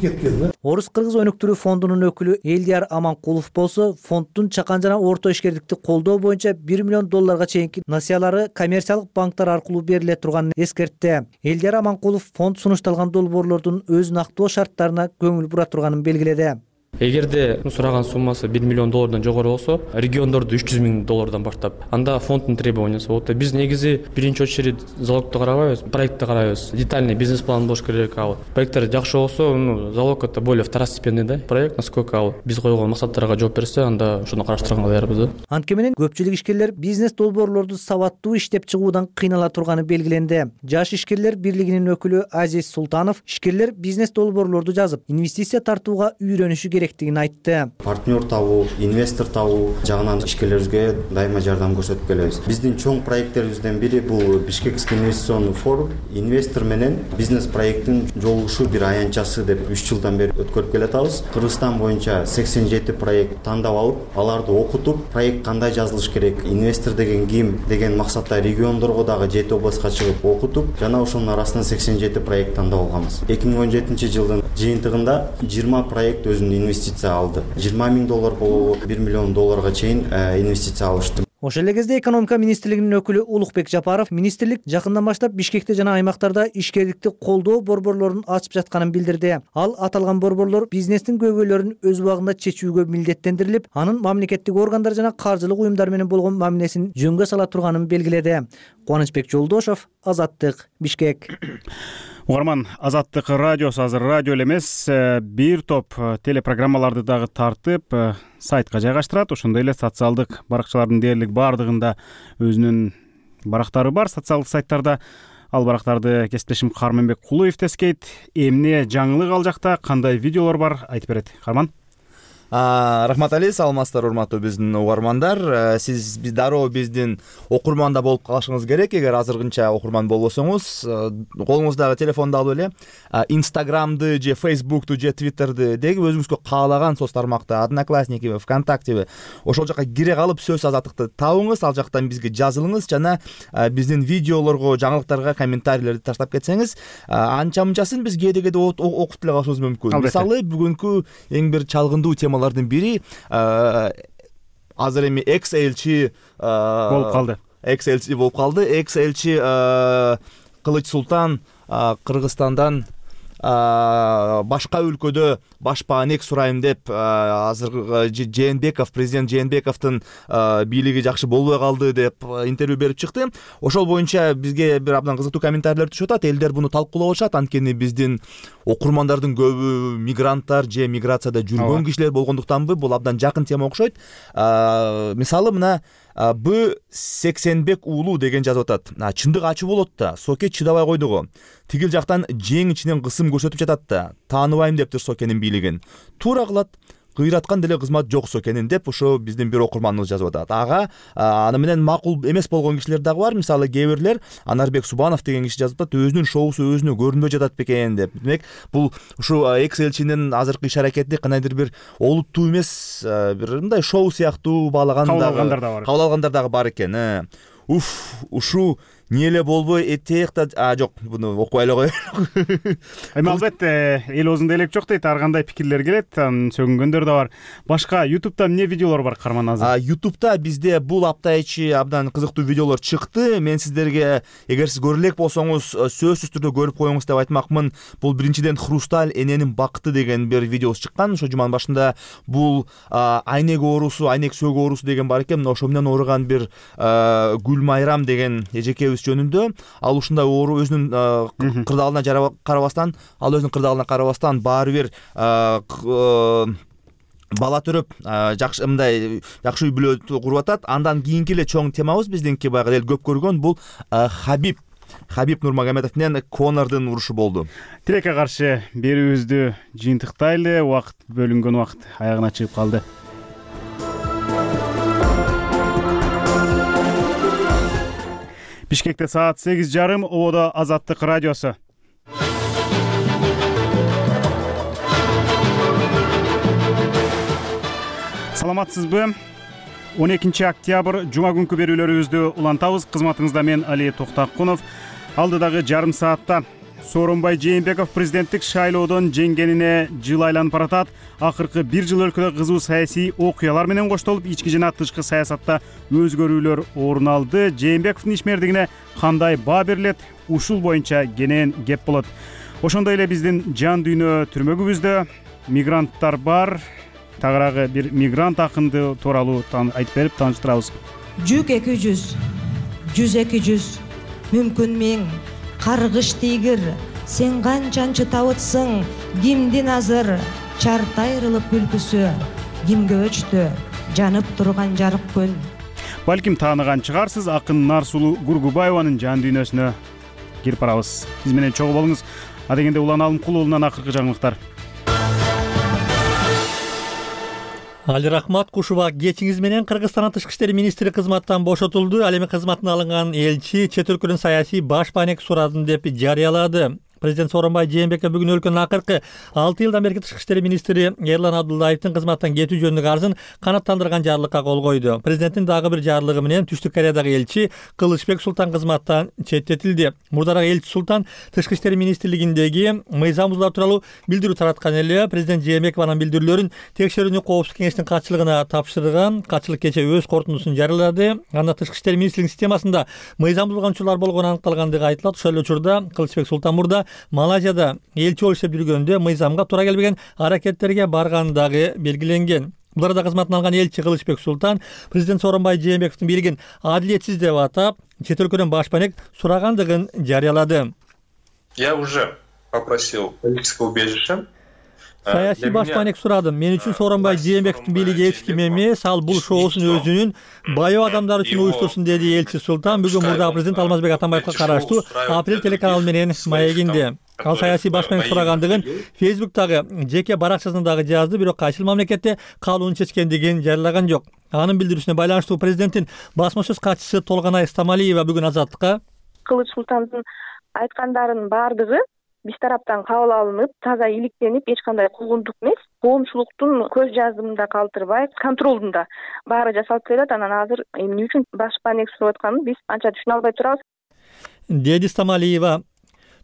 Орус-кыргыз өнүктүрүү фондунун өкүлү Элдияр Аманкулов болсо, фонддун чакан жана орто ишкердикти колдоо боюнча $1 миллион чейинки насыялары коммерциялык банктар аркылуу бериле турганын эскертти. Элдияр Аманкулов фонд сунушталган долбоорлордун өзүн актоо шарттарына көңүл бура турганын белгиледи. Эгерде сураган суммасы $1 миллион жогору болсо, региондордо $300 миң баштап, анда фонддун требованиясы болот. Биз негизи биринчи очередь залогду карабайбыз, проектти карайбыз. Детальный бизнес план болуш керек. Проекттер жакшы болсо, залог это более второстепенный да проект, насколько биз койгон максаттарга жооп берсе, анда ошону караштырганга даярбыз. Анткени менен көпчүлүк ишкерлер бизнес долбоорлорду сабаттуу иштеп чыгуудан кыйнала турганы белгиленди. Жаш ишкерлер бирлигинин өкүлү Азиз Султанов ишкерлер бизнес долбоорлорду жазып, инвестиция тартууга үйрөнүшү керектигин айтты. Партнер табуу, инвестор табуу жагынан ишкерлерибизге дайыма жардам көрсөтүп келебиз. Биздин чоң проекттерибизден бири бул Бишкекский инвестиционный форум. Инвестор менен бизнес проекттин жолугушуу бир аянтчасы деп 3 жылдан бери өткөрүп келатабыз. Кыргызстан боюнча 87 проект тандап алып, аларды окутуп, проект кандай жазылыш керек, инвестор деген ким деген максатта региондорго дагы 7 областка чыгып окутуп, жана ошонун арасынан 87 проект тандап алганбыз. 2017 жылдын жыйынтыгында 20 проект өзүнүн инвестиция алды. $20 миң болобу, $1 миллион чейин инвестиция алышты. Ошол эле кезде экономика министрлигинин өкүлү Улукбек Жапаров министрлик жакындан баштап Бишкекте жана аймактарда ишкерликти колдоо борборлорун ачып жатканын билдирди. Ал аталган борборлор бизнестин көйгөйлөрүн өз убагында чечүүгө милдеттендирилип, анын мамлекеттик органдар жана каржылык уюмдар менен болгон мамилесин жөнгө сала турганын белгиледи. Кубанычбек Жолдошов, Азаттык, Бишкек. Угарман, Азаттык радиосу азыр радио эле эмес, бир топ телепрограммаларды дагы тартып, сайтка жайгаштырат. Ошондой эле социалдык баракчалардын дээрлик баардыгында өзүнүн барактары бар социалдык сайттарда. Ал барактарды кесиптешим Карманбек Кулуев тескейт. Эмне жаңылык ал жакта, кандай видеолор бар, айтып берет. Карман. Рахмат Али, саламатсыздар урматтуу биздин угармандар. Сиз дароо биздин окурманда болуп калышыңыз керек. Эгер азыркынча окурман болбосоңуз, колуңуздагы телефонду алып эле Инстаграмды же Фейсбукту же Твиттерди деги өзүңүзгө каалаган соц тармакты, Одноклассникиби, ВКонтактеби ошол жака кире калып сөз Азаттыкты табыңыз, ал жактан бизге жазылыңыз жана биздин видеолорго, жаңылыктарга комментарийлерди таштап кетсеңиз, анча-мынчасын биз кээде окуп деле калышыбыз мүмкүн. Мисалы, бүгүнкү эң бир чалгындуу темалардын бири азыр эми экс-элчи болуп калды. Экс-элчи Кылыч Султан Кыргызстандан башка өлкөдө башпаанек сурайм деп азыр Жээнбеков, президент Жээнбековдун бийлиги жакшы болбой калды деп интервью берип чыкты. Ошол боюнча бизге бир абдан кызыктуу комментарийлер түшүп атат. Элдер буну талкуулап атышат. Анткени биздин окурмандардын көбү мигранттар же миграцияда жүргөн кишилер болгондуктанбы, бул абдан жакын тема окшойт. Мисалы мына Б-Сексенбек уулу деген жазып атат. Чындык ачуу болот да, Соке чыдабай койду го. Тигил жактан жең ичинен кысым көрсөтүп жатат да. Тааныбайм дептир Сокенин бийлигин. Туура кылат. Кыйраткан деле кызмат жок Сокенин деп ошо биздин бир окурманыбыз жазып атат. Ага аны менен макул эмес болгон кишилер дагы бар. Мисалы, кээ бирлер Анарбек Субанов деген киши жазып атат, өзүнүн шоусу өзүнө көрүнбөй жатат бекен деп. Демек, бул ушу экс-элчинин азыркы иш-аракети кандайдыр бир олуттуу эмес, бир мындай шоу сыяктуу баалаган дагы, кабыл алгандар дагы бар экен. Ушу не эле болбой этек да жок, буну окуй эле коелу. Эми албетте эл оозунда элек жок дейт, ар кандай пикирлер келет, сөгүнгөндөр да бар. Башка YouTube'да эмне видеолор бар, Карман азыр? YouTube'да бизде бул апта ичи абдан кызыктуу видеолор чыкты. Мен сиздерге, эгер сиз көрө элек болсоңуз, сөзсүз түрдө көрүп коюңуз деп айтмакмын. Бул биринчиден Хрусталь эненин бакыты деген бир видеосу чыккан. Ошо жуманын башында бул айнек оорусу, айнек сөөгү оорусу деген бар экен. Ошо менен ооруган бир Гүлмайрам деген эжеке жөнүндө. Ал ушундай оору өзүнүн кырдаалына карабастан, баары бир бала төрөп, жакшы мындай жакшы үй бүлө куруп атат. Андан кийинки эле чоң темабыз биздинки баягы эл көп көргөн бул Хабиб Хабиб Нурмагомедов менен Конордун урушу болду. Тилекке каршы берүүбүздү жыйынтыктайлы. Убакыт бөлүнгөн убакыт аягына чыгып калды. Бишкекте саат 8:30, Ободо Азаттык радиосу. Саламатсызбы? 12 октябрь жума күнкү берүүлөрүбүздү улантабыз. Кызматыңызда мен Али Токтакунов. Алдыдагы жарым саатта Сооронбай Жээнбеков президенттик шайлоодон жеңгенине жыл айланып баратат. Акыркы бир жыл өлкөдө кызуу саясий окуялар менен коштолуп, ички жана тышкы саясатта өзгөрүүлөр орун алды. Жээнбековдун ишмердигине кандай баа берилет? Ушул боюнча кенен кеп болот. Ошондой эле биздин жан дүйнө түрмөгүбүздө мигранттар бар. Тагыраагы бир мигрант акынды тууралуу айтып берип тааныштырабыз. 100-200, 100-200, мүмкүн 1000, каргыш тийгир, сен канчанчы табытсың, кимдин азыр, чарт айрылып күлкүсү, кимге өчтү, жанып турган жарык күн. Балким тааныган чыгарсыз, акын Нарсулуу Гургубаеванын жан дүйнөсүнө кирип барабыз. Биз менен чогуу болуңуз. Адегенде Улан Алымкулуулунан акыркы жаңылыктар. Али Рахмат Кушуба кечиңиз менен Кыргызстандын тышкы иштер министри кызматтан бошотулду. Ал эми кызматына алынган элчи чет өлкөнүн саясий баш маанек сурадым деп жарыялады. Президент Сооронбай Жээнбеков бүгүн өлкөнүн акыркы 6 жылдан берки тышкы иштер министри Эрлан Абдуллаевдин кызматтан кетүү жөнүндөгү арызын канааттандырган жарлыкка кол койду. Президенттин дагы бир жарлыгы менен Түштүк Кореядагы элчи Кылычбек Султан кызматтан четтетилди. Мурдараак элчи Султан тышкы иштер министрлигиндеги мыйзам бузуулар тууралуу билдирүү тараткан эле. Президент Жээнбеков анын билдирүүлөрүн текшерүүнү коопсуздук кеңештин катчылыгына тапшырган. Катчылык кечээ өз корутундусун жарыялады. Анда тышкы иштер министрлигинин системасында мыйзам бузулган учурлар болгону аныкталгандыгы айтылат. Ошол эле учурда Кылычбек Султан мурда Малайзияда элчи болуп иштеп жүргөндө мыйзамга туура келбеген аракеттерге баргандыгы белгиленген. Бул арада кызматын алган элчи Кылычбек Султан президент Сооронбай Жээнбековдун бийлигин адилетсиз деп атап, чет өлкөдөн баш маанек сурагандыгын жарыялады. Я уже попросил политическое убежище. Саясий баш маанек сурадым. Мен үчүн Сооронбай Жээнбековдун бийлиги эч ким эмес, ал бул шоусун өзүнүн баяу адамдар үчүн уюштурсун, деди элчи Султан. Бүгүн мурдагы президент Алмазбек Атамбаевга караштуу Апрель телеканалы менен маегинде. Ал саясий баш маанек сурагандыгын Фейсбуктагы жеке баракчасында дагы жазды, бирок кайсыл мамлекетте калууну чечкендигин жарыялаган жок. Анын билдирүүсүнө байланыштуу президенттин басма сөз катчысы Толгонай Стамалиева бүгүн Азаттыкка Кылыч Султандын айткандарынын баардыгы биз тараптан кабыл алынып, таза иликтенип, эч кандай куугунтук эмес, коомчулуктун көз жаздымында калтырбай, контролдунда баары жасалып келет. Анан азыр эмне үчүн баш маанек сурап атканын биз анча түшүнө албай турабыз, деди Стамалиева.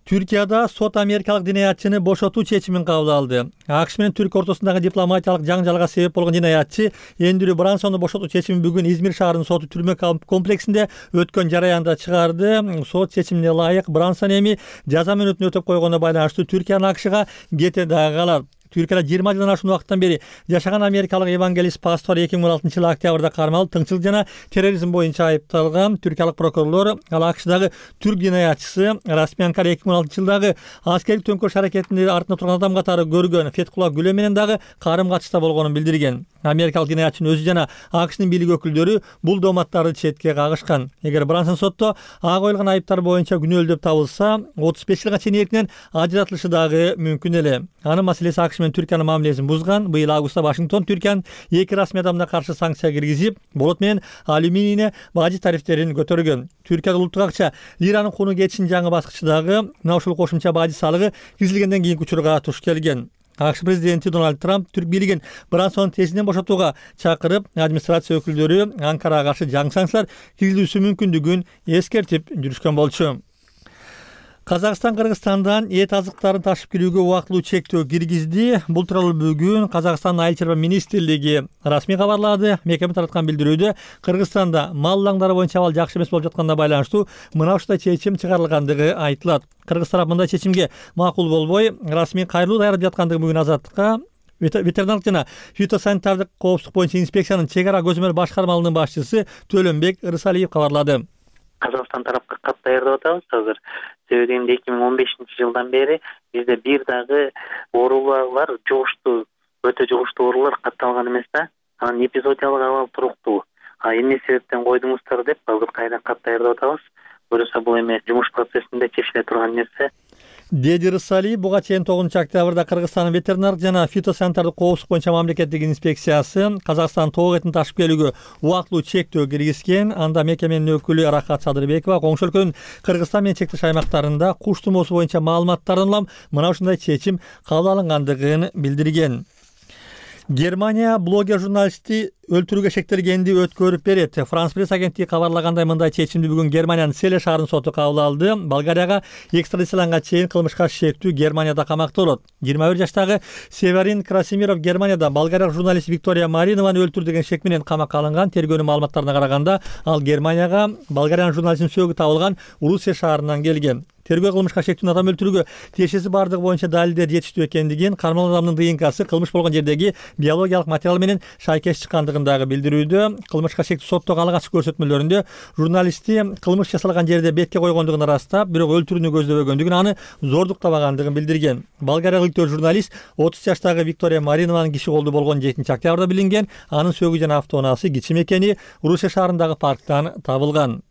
Түркияда сот америкалык динаятчыны бошотуу чечимин кабыл алды. АКШ менен Түркия ортосундагы дипломатиялык жаңжалга себеп болгон динаятчы Эндрю Брансонду бошотуу чечимин бүгүн Измир шаарынын соту түрмө комплексинде өткөн жараянда чыгарды. Сот чечимине ылайык Брансон эми жаза мөөнөтүн өтөп койгонуна байланыштуу Түркиянын АКШга кете дагы калат. Түркияда 20 жылдан ашуун убакыттан бери жашаган америкалык евангелист пастор 2016-жылы октябрда кармалып, тыңчылык жана терроризм боюнча айыпталган. Түркиялык прокурорлор ал АКШдагы түрк динаятчысы Расмий Анкар 2016-жылдагы аскердик төңкөрүш аракетинде артында турган адам катары көргөн Феткула Гүлө менен дагы карым катышта болгонун билдирген. Америкалык динаятчынын өзү жана АКШнын бийлик өкүлдөрү бул дооматтарды четке кагышкан. Эгер Брансон сотто ага коюлган айыптар боюнча күнөөлүү деп табылса, 35 жылга чейин эркинен ажыратылышы дагы мүмкүн эле. Анын маселеси АКШ менен Түркиянын мамилесин бузган. Быйыл августта Вашингтон Түркиянын 2 расмий адамына каршы санкция киргизип, болот менен алюминийне бажы тарифтерин көтөргөн. Түркияда улуттук акча лиранын кууну кетишинин жаңы баскычындагы мына ушул кошумча бажы салыгы киргизилгенден кийинки учурга туш келген. АКШ президенти Дональд Трамп түрк бийлигин Брансонун тезинен бошотууга чакырып, администрация өкүлдөрү Анкарага каршы жаңы санкциялар киргизүүсү мүмкүндүгүн эскертип жүрүшкөн болчу. Казакстан Кыргызстандан эт азыктарын ташып кирүүгө убактылуу чектөө киргизди. Бул тууралуу бүгүн Казакстандын Айыл чарба министрлиги расмий кабарлады. Мекеме тараткан билдирүүдө Кыргызстанда мал лаңдары боюнча абал жакшы эмес болуп жатканына байланыштуу мына ушундай чечим чыгарылгандыгы айтылат. Кыргыз тарап мындай чечимге макул болбой, расмий кайрылуу даярдап жаткандыгы бүгүн Азаттыкка ветеринардык жана фитосанитардык коопсуздук боюнча инспекциянын чек ара көзөмөл башкармалыгынын башчысы Төлөнбек Ырысалиев кабарлады. Казакстан тарапка кат даярдап атабыз азыр. Себеби 2015-жылдан бери бизде бир дагы оорулар жугуштуу, өтө жугуштуу оорулар катталган эмес да. Анан эпизодиялык абал туруктуу. Эмне себептен койдуңуздар деп азыр кайра кат даярдап атабыз. көрөсө бул эми жумуш процессинде чечиле турган нерсе. Деди Рысалиев буга чейин 9 октябрда Кыргызстандын ветеринардык жана фитосанитардык коопсуздук боюнча мамлекеттик инспекциясы Казакстан тоок этин ташып келүүгө убактылуу чектөө киргизген. Анда мекеменин өкүлү Рахат Садырбекова коңшу өлкөнүн Кыргызстан менен чектеш аймактарында куш тумоосу боюнча маалыматтардан улам мына ушундай чечим кабыл алынгандыгын билдирген. Германия блогер журналистти өлтүрүүгө шектелгенди өткөрүп берет. Франс пресс агенттиги кабарлагандай мындай чечимди бүгүн Германиянын Селе шаарынын соту кабыл алды. Болгарияга экстрадицияланганга чейин кылмышка шектүү Германияда камакта болот. 21 жаштагы Северин Красимиров Германияда болгариялык журналист Виктория Маринованы өлтүрдү деген шек менен камакка алынган. Тергөөнүн маалыматтарына караганда ал Германияга болгариянын журналистин сөөгү табылган Урусия шаарынан келген. Тергөө кылмышка шектүүнүн адам өлтүрүүгө тиешеси бардыгы боюнча далилдер жетиштүү экендигин, кармалган адамдын ДНКсы кылмыш болгон жердеги биологиялык материал менен шайкеш чыккандыгын дагы билдирүүдө. Кылмышка шектүү соттогу алгачкы көрсөтмөлөрүндө журналистти кылмыш жасалган жерде бетке койгондугун ырастап, бирок өлтүрүүнү көздөбөгөндүгүн, аны зордуктабагандыгын билдирген. Болгариялык журналист 30 жаштагы Виктория Маринованын киши колдуу болгон 7 октябрда билинген. Анын сөөгү жана автоунаасы кичи мекени Урусия шаарындагы парктан табылган.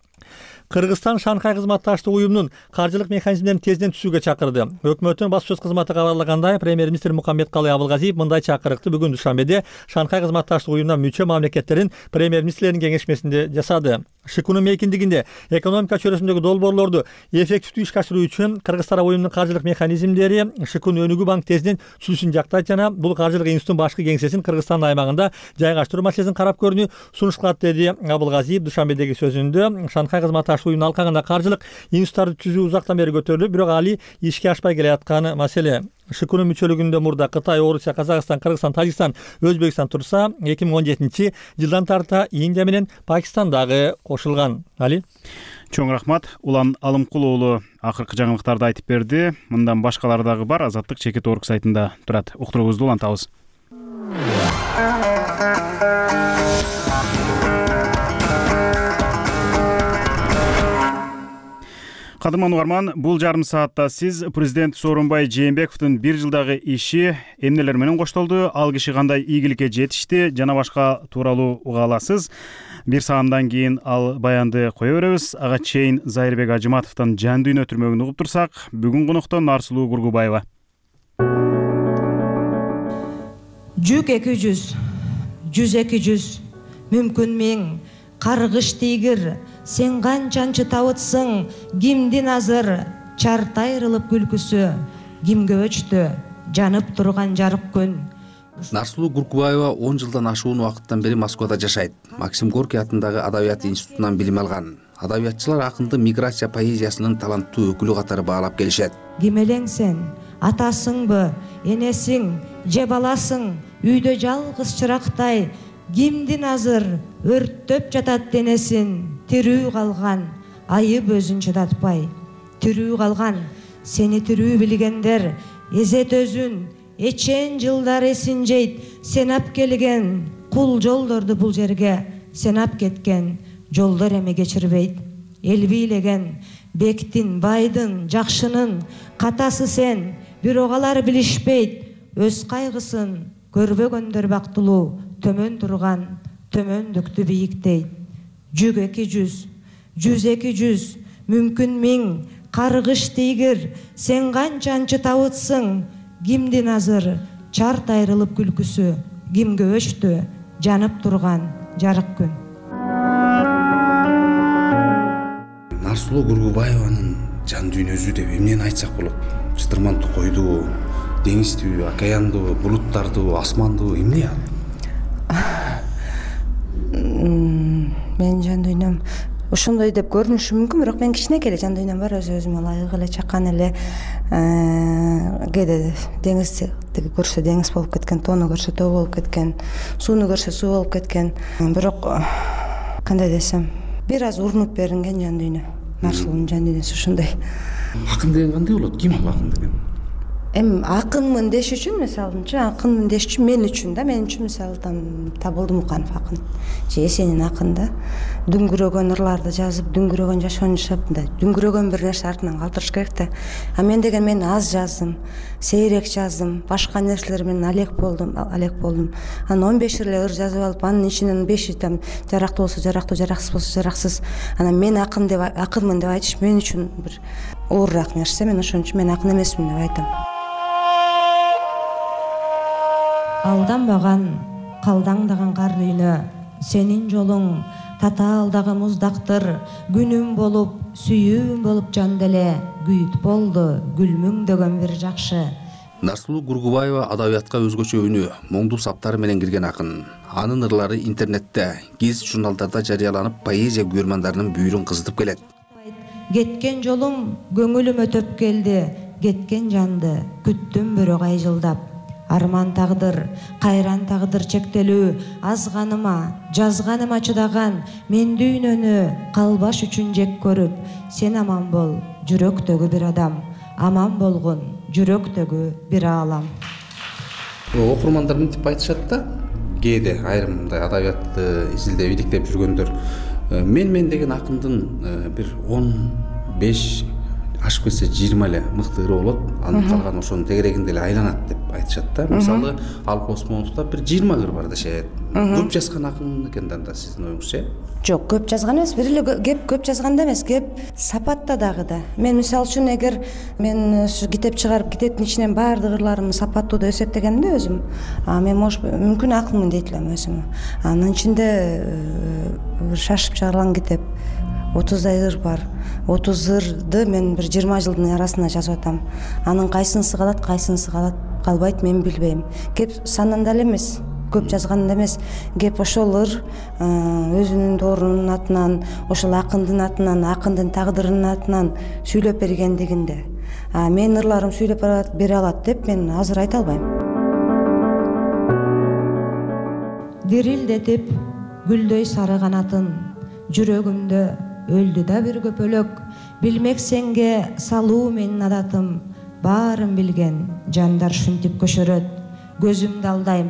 Кыргызстан Шанхай кызматташтык уюмунун каржылык механизмдерин тезден түзүүгө чакырды. Өкмөттүн баспасөз кызматы кабарлагандай, премьер-министр Мукаммедкалый Абылгазиев мындай чакырыкты бүгүн Душанбеде Шанхай кызматташтык уюмуна мүчө мамлекеттердин премьер-министрлеринин кеңешмесинде жасады. ШИКУнун мейкиндигинде экономика чөйрөсүндөгү долбоорлорду эффективдүү ишке ашыруу үчүн Кыргызстан уюмунун каржылык механизмдери ШИКУн өнүгүү банк тезден түзүлүшүн жактайт жана бул каржылык институттун башкы кеңсесин Кыргызстандын аймагында жайгаштыруу маселесин карап көрүүнү сунуш кылат, деди Абылгазиев Душанбедеги сөзүндө. Шанхай кызматташтык уюмунун алкагында каржылык институттарды түзүү узактан бери көтөрүлүп, бирок али ишке ашпай келаткан маселе. ШИКУнун мүчөлүгүндө мурда Кытай, Орусия, Казакстан, Кыргызстан, Тажикстан, Өзбекстан турса, 2017 жылдан тарта Индия менен Пакистан дагы кошулган. Али? Чоң рахмат. Улан Алымкул уулу акыркы жаңылыктарды айтып берди. Мындан башкалары дагы бар. Азаттык чекит орг сайтында турат. Уктуруңузду улантабыз. Кадырман угарман, бул жарым саатта сиз президент Сооронбай Жээнбековдун 1 жылдагы иши эмнелер менен коштолду, ал киши кандай ийгиликке жетишти жана башка тууралуу уга аласыз. 1 саамдан кийин ал баянды кое беребиз. Ага чейин Зайырбек Ажыматовдун жан дүйнө өтүрмөгүн угуп турсак, бүгүн конокто Нарсулуу Гургубаева. Жүк 200, 100-200, мүмкүн 1000, каргыш тийгир, сен канчан чытабытсың, кимдин азыр чартайрылып күлкүсү, кимге өчтү жанып турган жарык күн. Нарсулуу Гургубаева 10 жылдан ашуун убакыттан бери Москвада жашайт. Максим Горький атындагы Адабият институтунан билим алган. Адабиятчылар акынды миграция поэзиясынын таланттуу өкүлү катары баалап келишет. Ким элең сен? Атасыңбы, энесиң, же баласың? Үйдө жалгыз чырактай кимдин азыр өрттөп жатат денесин? Тирүү калган, айып өзүн чыдатпай. Тирүү калган, сени тирүү билгендер, эзет өзүн, эчен жылдар эсин жейт. Сен ап келген кул жолдорду бул жерге, сен ап кеткен жолдор эми кечирбейт. Эл бийлеген бектин, байдын, жакшынын катасы сен, бирок алар билишпейт. Өз кайгысын көрбөгөндөр бактылуу, төмөн турган төмөндүктү бийиктейт. Жүк 200, 100-200, мүмкүн 1000, каргыш тийгир, сен канчан чытабытсың, кимдин азыр чарт айрылып күлкүсү, кимге өчтү жанып турган жарык күн. Нарсулуу Гургубаеванын жан дүйнөсү деп эмнени айтсак болот? Чытырман токойду, деңизди, океанды, булуттарды, асманды, эмне ал? Менин жан дүйнөм ошондой деп көрүнүшү мүмкүн, бирок мен кичинекей эле жан дүйнөм бар, өзүмө ылайык эле чакан эле. Кээде деңизди көрсө деңиз болуп кеткен, тоону көрсө тоо болуп кеткен, сууну көрсө суу болуп кеткен. Бирок кандай десем, бир аз урунуп беринген жан дүйнө. Нарсулуунун жан дүйнөсү ушундай. Акын деген кандай болот? Ким ал акын деген? эми акынмын деш үчүн мисалычы акынмын деш үчүн мен үчүн мисалы Табылдымуканов акын же Эсенин акын да дүңгүрөгөн ырларды жазып дүңгүрөгөн жашоону жашап мындай дүңгүрөгөн бир нерсе артынан калтырыш керек да. А мен деген мен аз жаздым, сейрек жаздым, башка нерселер менен алек болдум. Анан 15 эле ыр жазып алып, анын ичинен 5 жарактуу болсо жарактуу, жараксыз болсо жараксыз. Анан мен акынмын деп айтыш мен үчүн бир оорураак нерсе. Мен ошон үчүн мен акын эмесмин деп айтам. Алданбаган, калдаңдаган кар дүйнө, сенин жолуң татаалдагы муздактыр, күнүм болуп, сүйүүм болуп жан деле, күйүт болду, гүлмүңдөгөн бир жакшы. Нарсулуу Гургубаева адабиятка өзгөчө өнү, моңду саптары менен кирген акын. Анын ырлары интернетте, гезит журналдарда жарыяланып, поэзия көрмандарынын бүйүрүн кызытып келет. Кеткен жолуң көңүлүмө төп келди, кеткен жанды күттүм бирок айжылдап. Арман тагдыр, кайран тагдыр чектелүү, азганыма, жазганыма чыдаган, мен дүйнөнү калбаш үчүн жек көрүп, сен аман бол, жүрөктөгү бир адам, аман болгон, жүрөктөгү бир аалам. Окурмандар мынтип айтышат да, кээде айрым мындай адабиятты изилдеп, иликтеп жүргөндөр, мен деген акындын бир 15 ашып кетсе 20 эле мыкты ыры болот, анын калган ошонун тегерегинде эле айланат деп айтышат да. Мисалы, Алып Осмоновдо бир 20 ыр бар дешет. Көп жазган акын экен да сиздин оюңузча? Жок, көп жазган эмес. Бир эле кеп көп жазганда эмес, кеп сапатта дагы да. Мен мисалы үчүн эгер мен китеп чыгарып, китептин ичинен баардык ырларымды сапаттуу деп эсептегенимде өзүм, мен мүмкүн акынмын дейт элем өзүм. Анын ичинде шашып чыгарылган китеп 30дай ыр бар. 30 ырды мен бир 20 жылдын арасына жазып атам. Анын кайсынысы калбайт мен билбейм. Кеп санында эле эмес, көп жазганда эмес, кеп ошол ыр өзүнүн доорунун атынан, ошол акындын атынан, акындын тагдырынын атынан сүйлөп бергендигинде. Мен ырларым сүйлөп бере алат деп мен азыр айта албайм. Дирилдетип гүлдөй сары канатын, жүрөгүмдө өлдү да бир көпөлөк, билмек сенге салуу менин адатым, баарын билген жандар шүнтүп көшөрөт. Көзүмдү алдайм,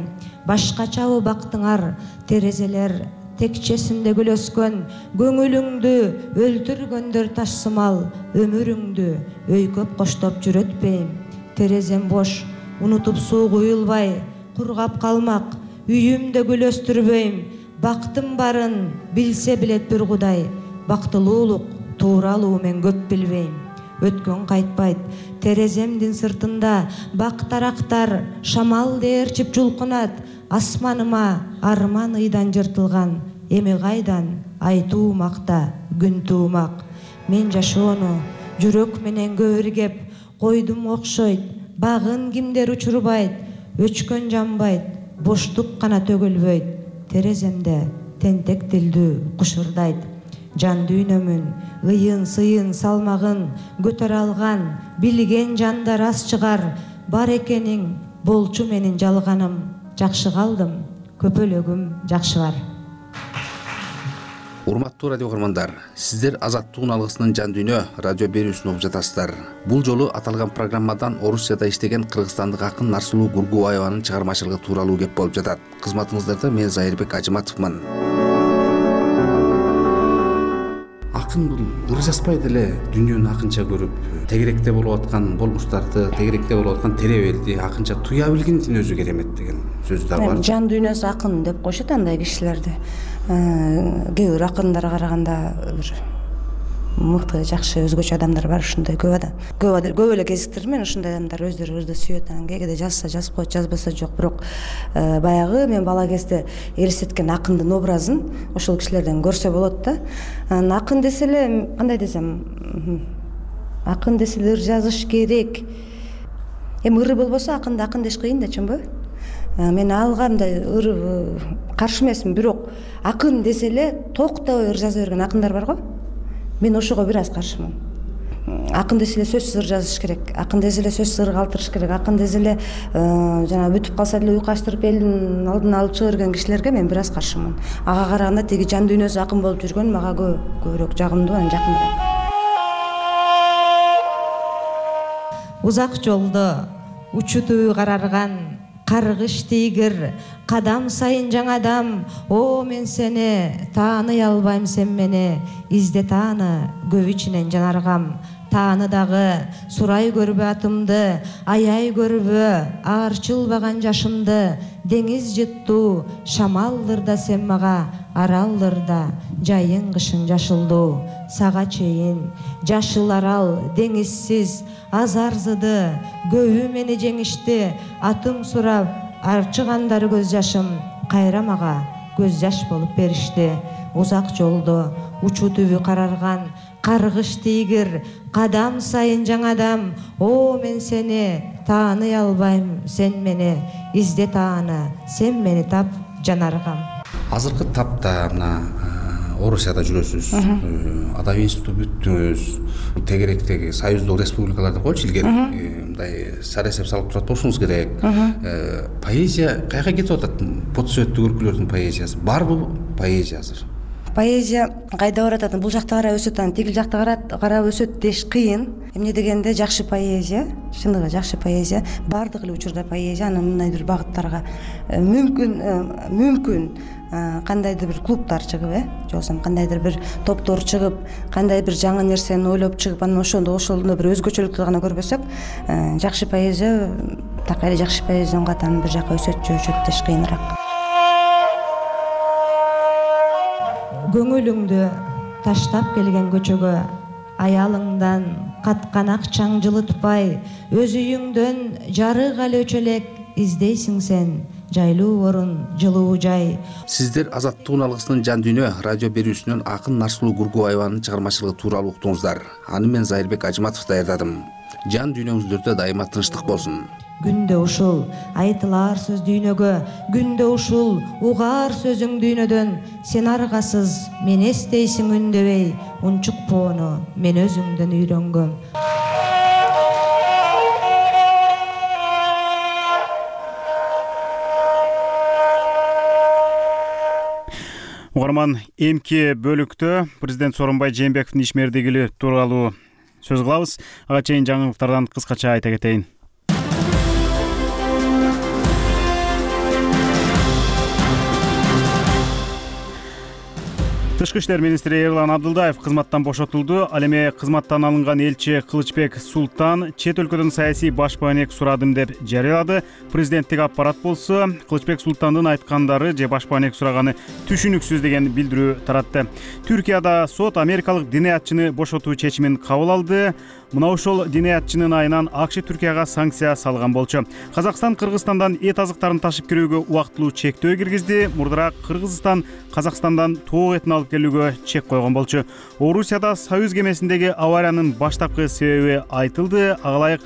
башкачабы бактыңар, терезелер текчесинде гүл өскөн, көңүлүңдү өлтүргөндөр ташсымал, өмүрүңдү өйкөп коштоп жүрөтпейм. Терезем бош, унутуп суу куюлбай, кургап калмак, үйүмдө гүл өстүрбөйм. Бактым барын билсе билет бир Кудай, бактылуулук тууралуу мен көп билбейм. Өткөн кайтпайт, тереземдин сыртында бак тарактар шамал дээрчип жулкунат. Асманыма арман ыйдан жыртылган, эми кайдан айтуу макта күн туумак. Мен жашоону жүрөк менен көөргеп койдум окшойт, багын кимдер учурбайт, өчкөн жанбайт, боштук гана төгүлбөйт. Тереземде тентек тилдүү кушурдайт. Жан дүйнөмүн ыйын сыйын салмагын көтөрө алган, билген жандар аз чыгар. Бар экениң болчу менин жалганым, жакшы калдым, көпөлөгүм жакшы бар. Урматтуу радио көрмандар, сиздер Азаттыктын алгысынын жан дүйнө радио берүүсүн угуп жатасыздар. Бул жолу аталган программадан Орусияда иштеген кыргызстандык акын Нарсулуу Гургубаеванын чыгармачылыгы тууралуу кеп болуп жатат. Кызматыңыздарда мен Зайырбек Ажыматовмун. Акын бул ыр жазбай деле дүйнөнү акынча көрүп, тегеректе болуп аткан болмуштарды, тегеректе болуп аткан теребелди акынча туя билгендин өзү керемет деген сөздөр бар. Жан дүйнөсү акын деп коюшат андай кишилерди. Кээ бир акындарга караганда бир мыкты, жакшы, өзгөчө адамдар бар, ушундай көп эле кезиктирдим мен. Ушундай адамдар өздөрү ырды сүйөт, анан кээде жазса жазып коет, жазбаса жок. Бирок баягы мен бала кезде элестеткен акындын образын ошол кишилерден көрсө болот да. Анан акын десе эле, кандай десем, акын десе эле ыр жазыш керек. Эми ыры болбосо акынды акын деш кыйын да, чынбы? Мен алга мындай ыр каршы эмесмин, бирок акын десе эле токтобой ыр жаза берген акындар бар го. Мен ошого бир аз каршымын. Акын десе эле сөзсүз ыр жазыш керек, акын десе эле сөзсүз ыр калтырыш керек, акын десе эле жана бүтүп калса деле уйку ачтырып элдин алдына алып чыга берген кишилерге мен бир аз каршымын. Ага караганда тиги жан дүйнөсү акын болуп жүргөн мага көбүрөөк жагымдуу, анан жакыныраак. Узак жолдо учутуу карарган каргыш тийгир, кадам сайын жаңадам. О мен сени тааный албайм, сен мени изде тааны, көп ичинен жанаргам. Тааны дагы сурай көрбө атымды, аяй көрбө аарчылбаган жашымды. Деңиз жыттуу шамалдыр да сен мага, аралдыр да жайың кышың жашылдуу. Сага чейин жашыл арал деңизсиз азарзыды, көбү мени жеңишти. Атым сурап арчыгандар көз жашым, кайра мага көз жаш болуп беришти. Узак жолдо учуу түбү карарган каргыш тийгир, кадам сайын жаңадам. О мен сени тааный албайм, сен мени изде тааны, сен мени тап жанаргам. Азыркы тапта мына Орусияда жүрөсүз, адабий институту бүттүңүз, тегеректеги союздук республикаларда койчу илгери мындай сарасеп салып турат болушуңуз керек. Поэзия каяка кетип атат? Подсөттүк өлкөлөрдүн поэзиясы барбы поэзия азыр? Поэзия кайда баратат? Бул жакта карап өсөт, тигил жакта карап өсөт деш кыйын. Эмне дегенде жакшы поэзия, чындыгы жакшы поэзия, бардык эле учурда поэзия анын мындайдыр багыттарга мүмкүн кандайдыр бир клубтар чыгып, же болбосо кандайдыр бир топтор чыгып, кандай бир жаңы нерсени ойлоп чыгып, анан ошондо бир өзгөчөлүктү гана көрбөсөк, жакшы поэзия так эле жакшы поэзиянын катарын бир жака өсөт деш кыйыныраак. Көңүлүңдү таштап келген көчөгө, аялыңдан каткан акчаң жылытпай, өз үйүңдөн жарык алы өчөлек издейсиң сен, жайлуу орун, жылуу жай. Сиздер Азаттыктын алгысынын жан дүйнө радио берүүсүнөн Акын Нарсулуу Гургубаеванын чыгармачылыгы тууралуу уктуңуздар. Аны мен Зайырбек Ажматов даярдадым. Жан дүйнөңүздөрдө дайыма тынчтык болсун. Күндө ушул айтылар сөз дүйнөгө, күндө ушул угаар сөзүң дүйнөдөн. Сен аргасыз мен эстейсиң үндөбөй, унчукпоону мен өзүңдөн үйрөнгөм. Угарман, эмки бөлүктө президент Сооронбай Жээнбековдун ишмердиги тууралуу сөз кылабыз. Ага чейин жаңылыктардан кыскача айта кетейин. Тышкы иштер министри Эрлан Абдылдаев кызматтан бошотулду. Ал эми кызматтан алынган элчи Кылычбек Султан чет өлкөдөн саясий баш баанек сурадым деп жарыялады. Президенттик аппарат болсо Кылычбек Султандын айткандары же баш баанек сураганы түшүнүксүз деген билдирүү таратты. Түркияда сот америкалык диниятчыны бошотуу чечимин кабыл алды. Мына ошол диниятчынын айынан АКШ Түркияга санкция салган болчу. Казакстан Кыргызстандан эт азыктарын ташып кирүүгө убактылуу чектөө киргизди. Мурдураак Кыргызстан Казакстандан тоок этин алып келүүгө чек койгон болчу. Орусияда Союз кемесиндеги авариянын баштапкы себеби айтылды. Ага ылайык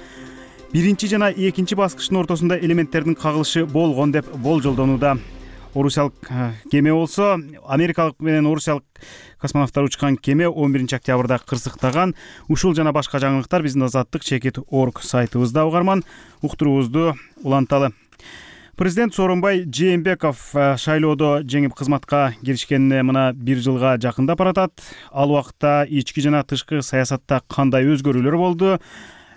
биринчи жана экинчи баскычтын ортосунда элементтердин кагылышы болгон деп болжолдонууда. Орусиялык кеме болсо америкалык менен орусиялык космонавттар учкан кеме 11-октябрда кырсыктаган. Ушул жана башка жаңылыктар биздин azattik.org сайтыбызда угарман. Уктуруубузду уланталы. Президент Сооронбай Жээнбеков шайлоодо жеңип кызматка киришкенине мына 1 жылга жакындап баратат. Ал убакытта ички жана тышкы саясатта кандай өзгөрүүлөр болду?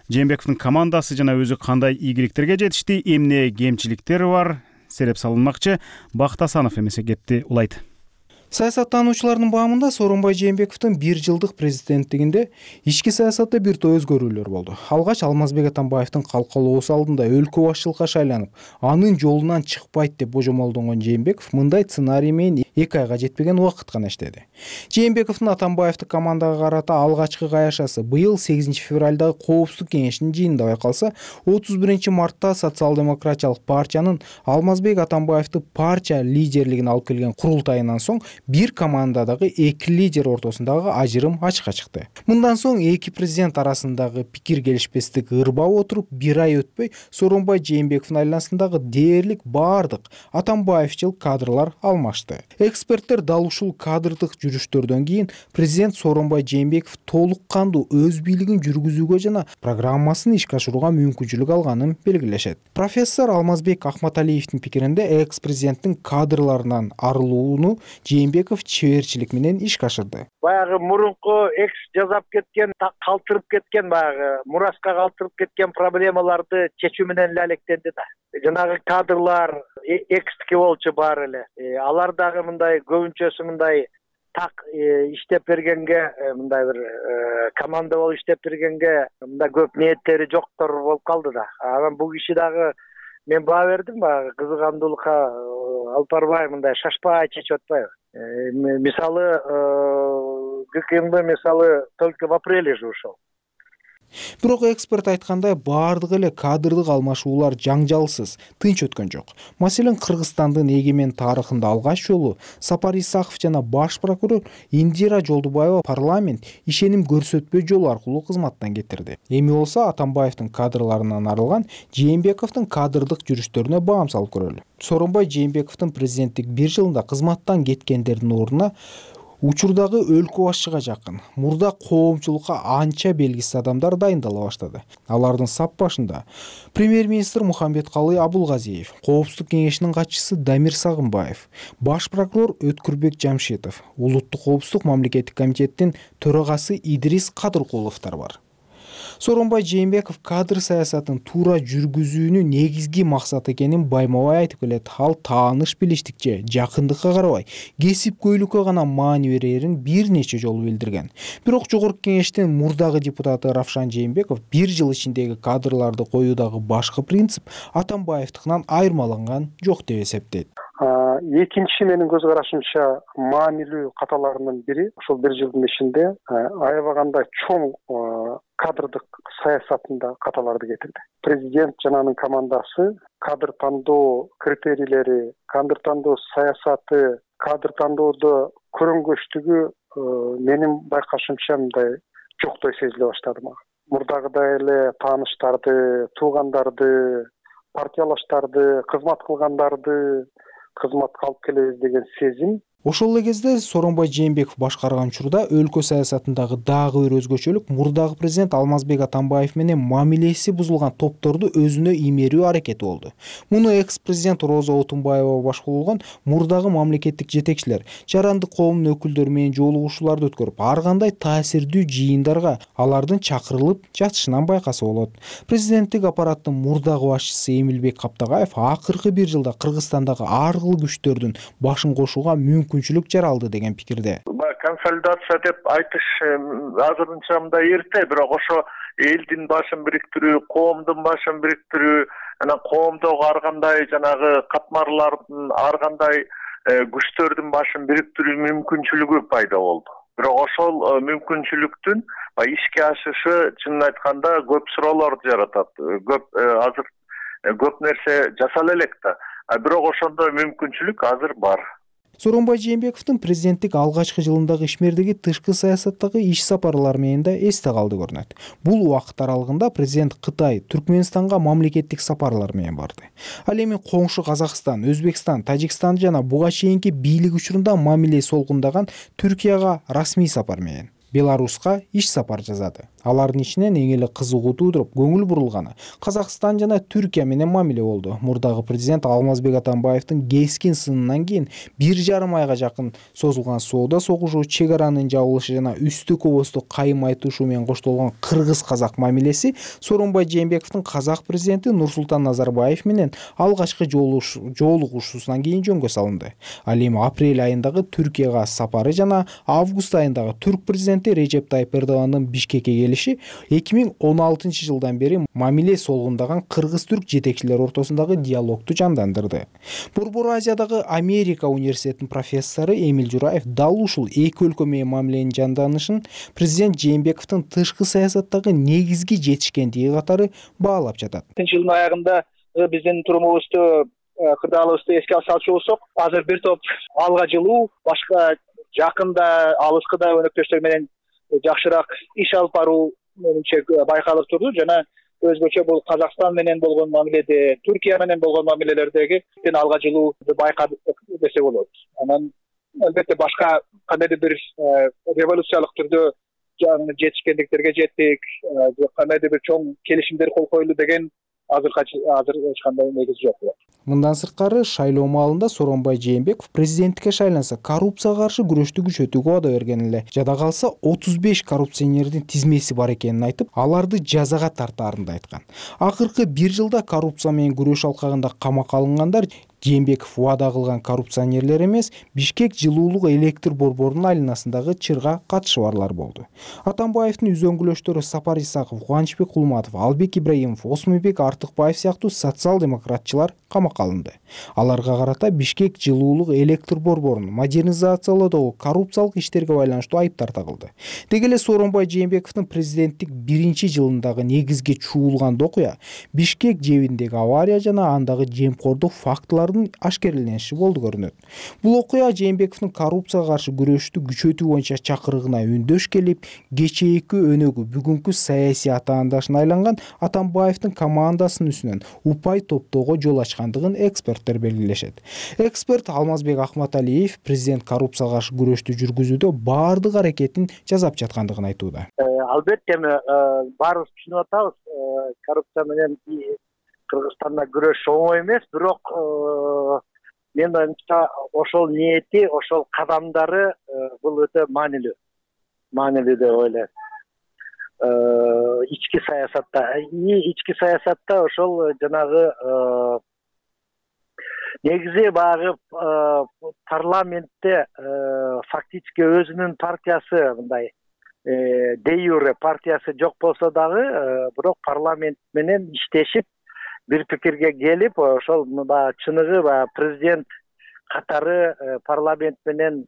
Жээнбековдун командасы жана өзү кандай ийгиликтерге жетишти? Эмне кемчиликтери бар? Сереп салынмакчы. Бакыт Асанов эмесе кепти улайт. Саясаттануучулардын баамында Сооронбай Жээнбековдун 1 жылдык президенттигинде ички саясатта бир топ өзгөрүүлөр болду. Алгач Алмазбек Атамбаевдин калкалоосу алдында өлкө башчылыкка шайланып, анын жолунан чыкпайт деп божомолдонгон Жээнбеков мындай сценарий менен 2 айга жетпеген убакыт гана иштеди. Жээнбековдун Атамбаевдик командага карата алгачкы каяшасы быйыл 8 февралдагы Коопсуздук кеңешинин жыйынында байкалса, 31 мартта социал-демократиялык партиянын Алмазбек Атамбаевди партия лидерлигин алып келген курултайынан соң бир командадагы 2 лидер ортосундагы ажырым ачыкка чыкты. Мындан соң эки президент арасындагы пикир келишпестик ырбап отуруп, 1 ай өтпөй Сооронбай Жээнбековдун айланасындагы дээрлик бардык Атамбаевчыл кадрлар алмашты. Эксперттер дал ушул кадрдык жүрүштөрдөн кийин президент Сооронбай Жээнбеков толук кандуу өз бийлигин жүргүзүүгө жана программасын ишке ашырууга мүмкүнчүлүк алганын белгилешет. Профессор Алмазбек Акматалиевдин пикиринде экс-президенттин кадрларынан арылууну Жээнбеков Жээнбеков чеберчилик менен ишке ашырды. Баягы мурунку экс жасап кеткен, калтырып кеткен, баягы мураска калтырып кеткен проблемаларды чечүү менен эле алектенди да. Жанагы кадрлар экстики болчу баары эле. Алар дагы мындай көбүнчөсү мындай так иштеп бергенге, мындай бир команда болуп иштеп бергенге мындай көп ниеттери жоктор болуп калды да. Анан бул киши дагы мен баа бердим, баягы кызыгандуулукка алып барбай, мындай шашпай чечип атпайбы. Мисалы, ГКМБ мисалы только в апреле же ушел. Бирок эксперт айткандай, баардык эле кадрдык алмашуулар жаңжалсыз, тынч өткөн жок. Маселен, Кыргызстандын эгемен тарыхында алгач жолу Сапар Исаков жана баш прокурор Индира Жолдубаева парламент ишеним көрсөтпөө жолу аркылуу кызматтан кетирди. Эми болсо Атамбаевдин кадрларынан арылган Жээнбековдун кадрдык жүрүштөрүнө баам салып көрөлү. Сооронбай Жээнбековдун президенттик 1 жылында кызматтан кеткендердин ордуна учурдагы өлкө башчыга жакын, мурда коомчулукка анча белгисиз адамдар дайындала баштады. Алардын сап башында премьер-министр Мухамбеткалый Абулгазиев, Коопсуздук кеңешинин катчысы Дамир Сагынбаев, баш прокурор Өткүрбек Жамшитов, Улуттук коопсуздук мамлекеттик комитеттин төрагасы Идрис Кадыркуловдор бар. Сооронбай Жээнбеков кадр саясатын туура жүргүзүүнүн негизги максаты экенин байма-бай айтып келет. Ал тааныш билиштикче, жакындыкка карабай, кесипкөйлүккө гана маани берерин бир нече жолу билдирген. Бирок Жогорку кеңештин мурдагы депутаты Равшан Жээнбеков 1 жыл ичиндеги кадрларды коюудагы башкы принцип Атамбаевдикынан айырмаланган жок деп эсептейт. Экинчи менин көз карашымча маанилүү каталарынын бири ошол 1 жылдын ичинде аябагандай чоң кадрдык саясатында каталарды кетирди. Президент жана анын командасы кадр тандоо критерийлери, кадр тандоо саясаты, кадр тандоодо көрөнгөчтүгү менин байкашымча мындай жоктой сезиле баштады мага. Мурдагыдай эле тааныштарды, туугандарды, партиялаштарды, кызмат кылгандарды кызматка алып келебиз деген сезим. Ошол эле кезде Сооронбай Жээнбеков башкарган учурда өлкө саясатындагы дагы бир өзгөчөлүк мурдагы президент Алмазбек Атамбаев менен мамилеси бузулган топторду өзүнө иймерүү аракети болду. Муну экс-президент Роза Отунбаева башкарган мурдагы мамлекеттик жетекчилер, жарандык коомдун өкүлдөрү менен жолугушууларды өткөрүп, ар кандай таасирдүү жыйындарга алардын чакырылып жатышынан байкаса болот. Президенттик аппараттын мурдагы башчысы Эмилбек Каптагаев акыркы 1 жылда Кыргызстандагы ар кыл күчтөрдүн башын кошууга мүмкүнчүлүк жаралды деген пикирде. Консолидация деп айтыш азырынча мындай эрте, бирок ошо элдин башын бириктирүү, коомдун башын бириктирүү, анан коомдогу ар кандай жанагы катмарлардын, ар кандай күчтөрдүн башын бириктирүү мүмкүнчүлүгү пайда болду. Бирок ошол мүмкүнчүлүктүн ишке ашышы чынын айтканда көп суроолорду жаратат. Азыр көп нерсе жасала элек да. Бирок ошондой мүмкүнчүлүк азыр бар. Сооронбай Жээнбековдун президенттик алгачкы жылындагы ишмердиги тышкы саясаттагы иш сапарлары менен да эсте калды көрүнөт. Бул убакыт аралыгында президент Кытай, Түркмөнстанга мамлекеттик сапарлар менен барды. Ал эми коңшу Казакстан, Өзбекстан, Тажикстан жана буга чейинки бийлик учурунда мамиле солгундаган Түркияга расмий сапар менен, Беларуска иш сапар жасады. Алардын ичинен эң эле кызыгуу туудуруп, көңүл бурулганы Казакстан жана Түркия менен мамиле болду. Мурдагы президент Алмазбек Атамбаевдин кескин сынынан кийин 1,5 айга жакын созулган соода согушу, чек аранын жабылышы жана үстү көбөстү кайым айтышуу менен коштолгон кыргыз-казак мамилеси Сооронбай Жээнбековдун казак президенти Нурсултан Назарбаев менен алгачкы жолугушуусунан кийин жөнгө салынды. Ал эми апрель айындагы Түркияга сапары жана август айындагы түрк президенти Режеп Тайып Эрдогандын Бишкекке келиши 2016 жылдан бери мамиле солгундаган кыргыз-түрк жетекчилер ортосундагы диалогду жандандырды. Борбор Азиядагы Америка университетинин профессору Эмил Жураев дал ушул эки өлкө менен мамиленин жанданышын президент Жээнбековдун тышкы саясаттагы негизги жетишкендиги катары баалап жатат. Жылдын аягында биздин турумубузду, кырдаалыбызды эске салчу болсок, азыр бир топ алга жылуу, башка жакында алыскыда өнөктөштөр менен жакшыраак иш алып баруу менимче байкалып турду жана өзгөчө бул Казакстан менен болгон мамиледе, Түркия менен болгон мамилелердеги алга жылууну байкадык десе болот. Анан албетте башка кандайдыр бир революциялык түрдө жетишкендиктерге жеттик, кандайдыр бир чоң келишимдер кол коюлду деген азыр эч кандай негиз жок. Мындан сырткары шайлоо маалында Сооронбай Жээнбеков президенттикке шайланса коррупцияга каршы күрөштү күчөтүүгө убада берген эле. Жада калса 35 коррупционердин тизмеси бар экенин айтып, аларды жазага тартаарын да айткан. Акыркы 1 жылда коррупция менен күрөш алкагында камакка алынгандар Жээнбеков убада кылган коррупционерлер эмес, Бишкек жылуулук электр борборунун айланасындагы чырга катышы барлар болду. Атамбаевдин үзөңгүлөштөрү Сапар Исаков, Кубанычбек Кулматов, Албек Ибраимов, Осмонбек Артыкбаев сыяктуу социал-демократчылар камакка алынды. Аларга карата Бишкек жылуулук электр борборун модернизациялоодогу коррупциялык иштерге байланыштуу айыптар тагылды. Деги эле Сооронбай Жээнбековдун президенттик 1-жылындагы негизги чуулган окуя Бишкек жебиндеги авария жана андагы жемкордук фактылар ашкерелениши болду көрүнөт. Бул окуя Жээнбековдун коррупцияга каршы күрөштү күчөтүү боюнча чакырыгына үндөш келип, кечээки өнөгү бүгүнкү саясий атаандашына айланган Атамбаевдин командасынын үстүнөн упай топтоого жол ачкандыгын эксперттер белгилешет. Эксперт Алмазбек Ахматалиев президент коррупцияга каршы күрөштү жүргүзүүдө баардык аракетин жасап жаткандыгын айтууда. Албетте баарыбыз түшүнүп атабыз, коррупция менен Кыргызстанда күрөш оңой эмес, бирок мен оюмча ошол ниети, ошол кадамдары бул өтө маанилүү деп ойлойм. Ички саясатта ошол жанагы негизи баягы парламентте фактически өзүнүн партиясы мындай де юре партиясы жок болсо дагы, бирок парламент менен иштешип бир пикирге келип, ошол чыныгы президент катары парламент менен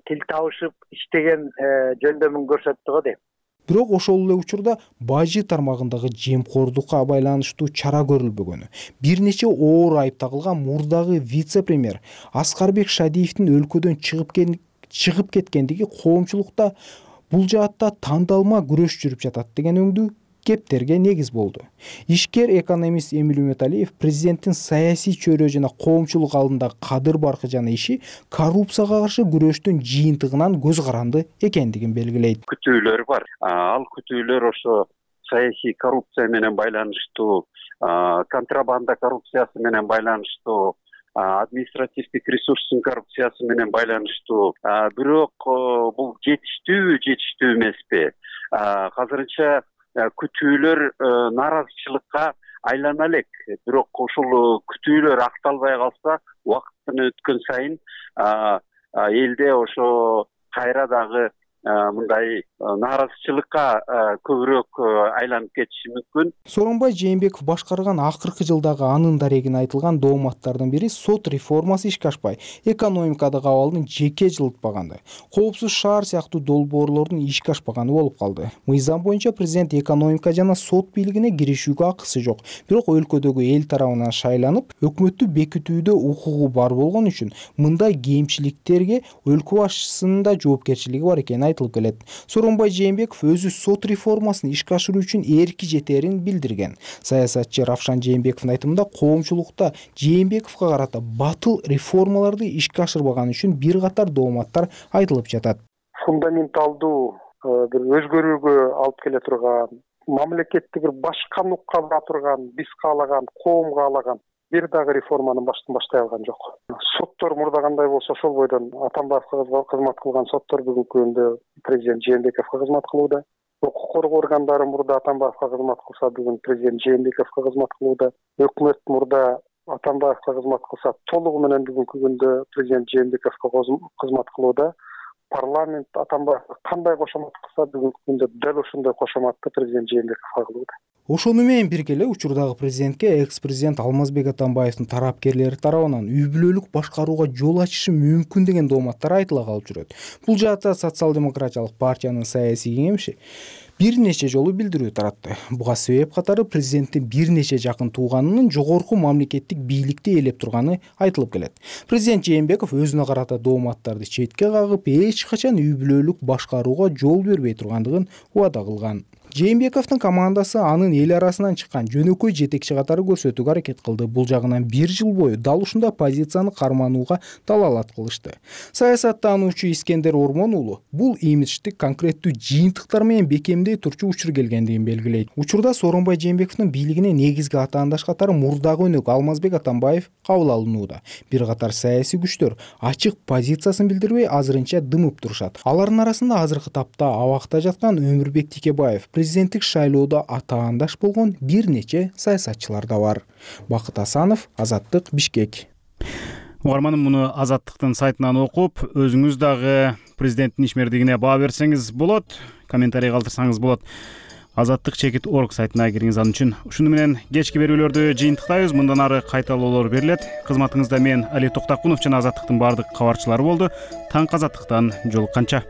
тил табышып иштеген жөндөмүн көрсөттү го дейм. Бирок ошол эле учурда бажы тармагындагы жемкордукка байланыштуу чара көрүлбөгөнү, бир нече оор айып тагылган мурдагы вице-премьер Аскарбек Шадиевдин өлкөдөн чыгып кеткендиги коомчулукта бул жаатта тандалма күрөш жүрүп жатат деген өңдүү кептерге негиз болду. Ишкер экономист Эмил Үмөталиев президенттин саясий чөйрө жана коомчулук алдындагы кадыр баркы жана иши коррупцияга каршы күрөштүн жыйынтыгынан көз каранды экендигин белгилейт. Күтүүлөр бар. Ал күтүүлөр ошо саясий коррупция менен байланыштуу, контрабанда коррупциясы менен байланыштуу, административдик ресурстун коррупциясы менен байланыштуу. Бирок бул жетиштүү эмеспи? Азырынча күтүүлөр нааразычылыкка айлана элек. Бирок ошол күтүүлөр акталбай калса, убакыт өткөн сайын элде ошо кайра дагы мындай нааразычылыкка көбүрөөк айланып кетиши мүмкүн. Сооронбай Жээнбеков башкарган акыркы жылдагы анын дарегине айтылган дооматтардын бири сот реформасы ишке ашпай, экономикадагы абалдын жеке жылытпаганды, коопсуз шаар сыяктуу долбоорлордун ишке ашпаганы болуп калды. Мыйзам боюнча президент экономика жана сот бийлигине киришүүгө акысы жок, бирок өлкөдөгү эл тарабынан шайланып, өкмөттү бекитүүдө укугу бар болгон үчүн мындай кемчиликтерге өлкө башчысынын да жоопкерчилиги бар экени айтылып келет. Сооронбай Жээнбеков өзү сот реформасын ишке ашыруу үчүн эрки жетерин билдирген. Саясатчы Равшан Жээнбековдун айтымында коомчулукта Жээнбековго карата батыл реформаларды ишке ашырбаганы үчүн бир катар дооматтар айтылып жатат. Фундаменталдуу бир өзгөрүүгө алып келе турган, мамлекетти бир башка нукка бара турган, биз каалаган, коом каалаган бир дагы реформаны баштай алган жок. Соттор мурда кандай болсо ошол бойдон Атамбаевга кызмат кылган соттор бүгүнкү күндө президент Жээнбековго кызмат кылууда. Укук коргоо органдары мурда Атамбаевга кызмат кылса, бүгүн президент Жээнбековго кызмат кылууда. Өкмөт мурда Атамбаевга кызмат кылса, толугу менен бүгүнкү күндө президент Жээнбековго кызмат кылууда. Парламент Атамбаевга кандай кошомат кылса, бүгүнкү күндө дал ошондой кошоматты президент Жээнбековго кылууда. Ошону менен бирге эле учурдагы президентке экс-президент Алмазбек Атамбаевдин тарапкерлери тарабынан үй бүлөлүк башкарууга жол ачышы мүмкүн деген дооматтар айтыла калып жүрөт. Бул жаатта социал-демократиялык партиянын саясий кеңеши бир нече жолу билдирүү таратты. Буга себеп катары президенттин бир нече жакын тууганынын жогорку мамлекеттик бийликти ээлеп турганы айтылып келет. Президент Жээнбеков өзүнө карата дооматтарды четке кагып, эч качан үй бүлөлүк башкарууга жол бербей тургандыгын убада кылган. Жээнбековдун командасы анын эл арасынан чыккан жөнөкөй жетекчи катары көрсөтүүгө аракет кылды. Бул жагынан 1 жыл бою дал ушундай позицияны карманууга далалат кылышты. Саясаттануучу Искендер Ормон уулу бул имидждик конкреттүү жыйынтыктар менен бекемдей турчу учур келгендигин белгилейт. Учурда Сооронбай Жээнбековдун бийлигине негизги атаандаш катары мурдагы өнөк Алмазбек Атамбаев кабыл алынууда. Бир катар саясий күчтөр ачык позициясын билдирбей азырынча дымып турушат. Алардын арасында азыркы тапта абакта жаткан Өмүрбек Тикебаев, президенттик шайлоодо атаандаш болгон бир нече саясатчылар да бар. Бакыт Асанов, Азаттык, Бишкек. Угарманым, муну Азаттыктын сайтынан окуп, өзүңүз дагы президенттин ишмердигине баа берсеңиз болот, комментарий калтырсаңыз болот. Азаттык.org сайтына кириңиз ал үчүн. Ушуну менен кечки берүүлөрдү жыйынтыктайбыз. Мындан ары кайталоолор берилет. Кызматыңызда мен Али Токтакунов жана Азаттыктын баардык кабарчылары болду. Таңкы Азаттыктан жолукканча.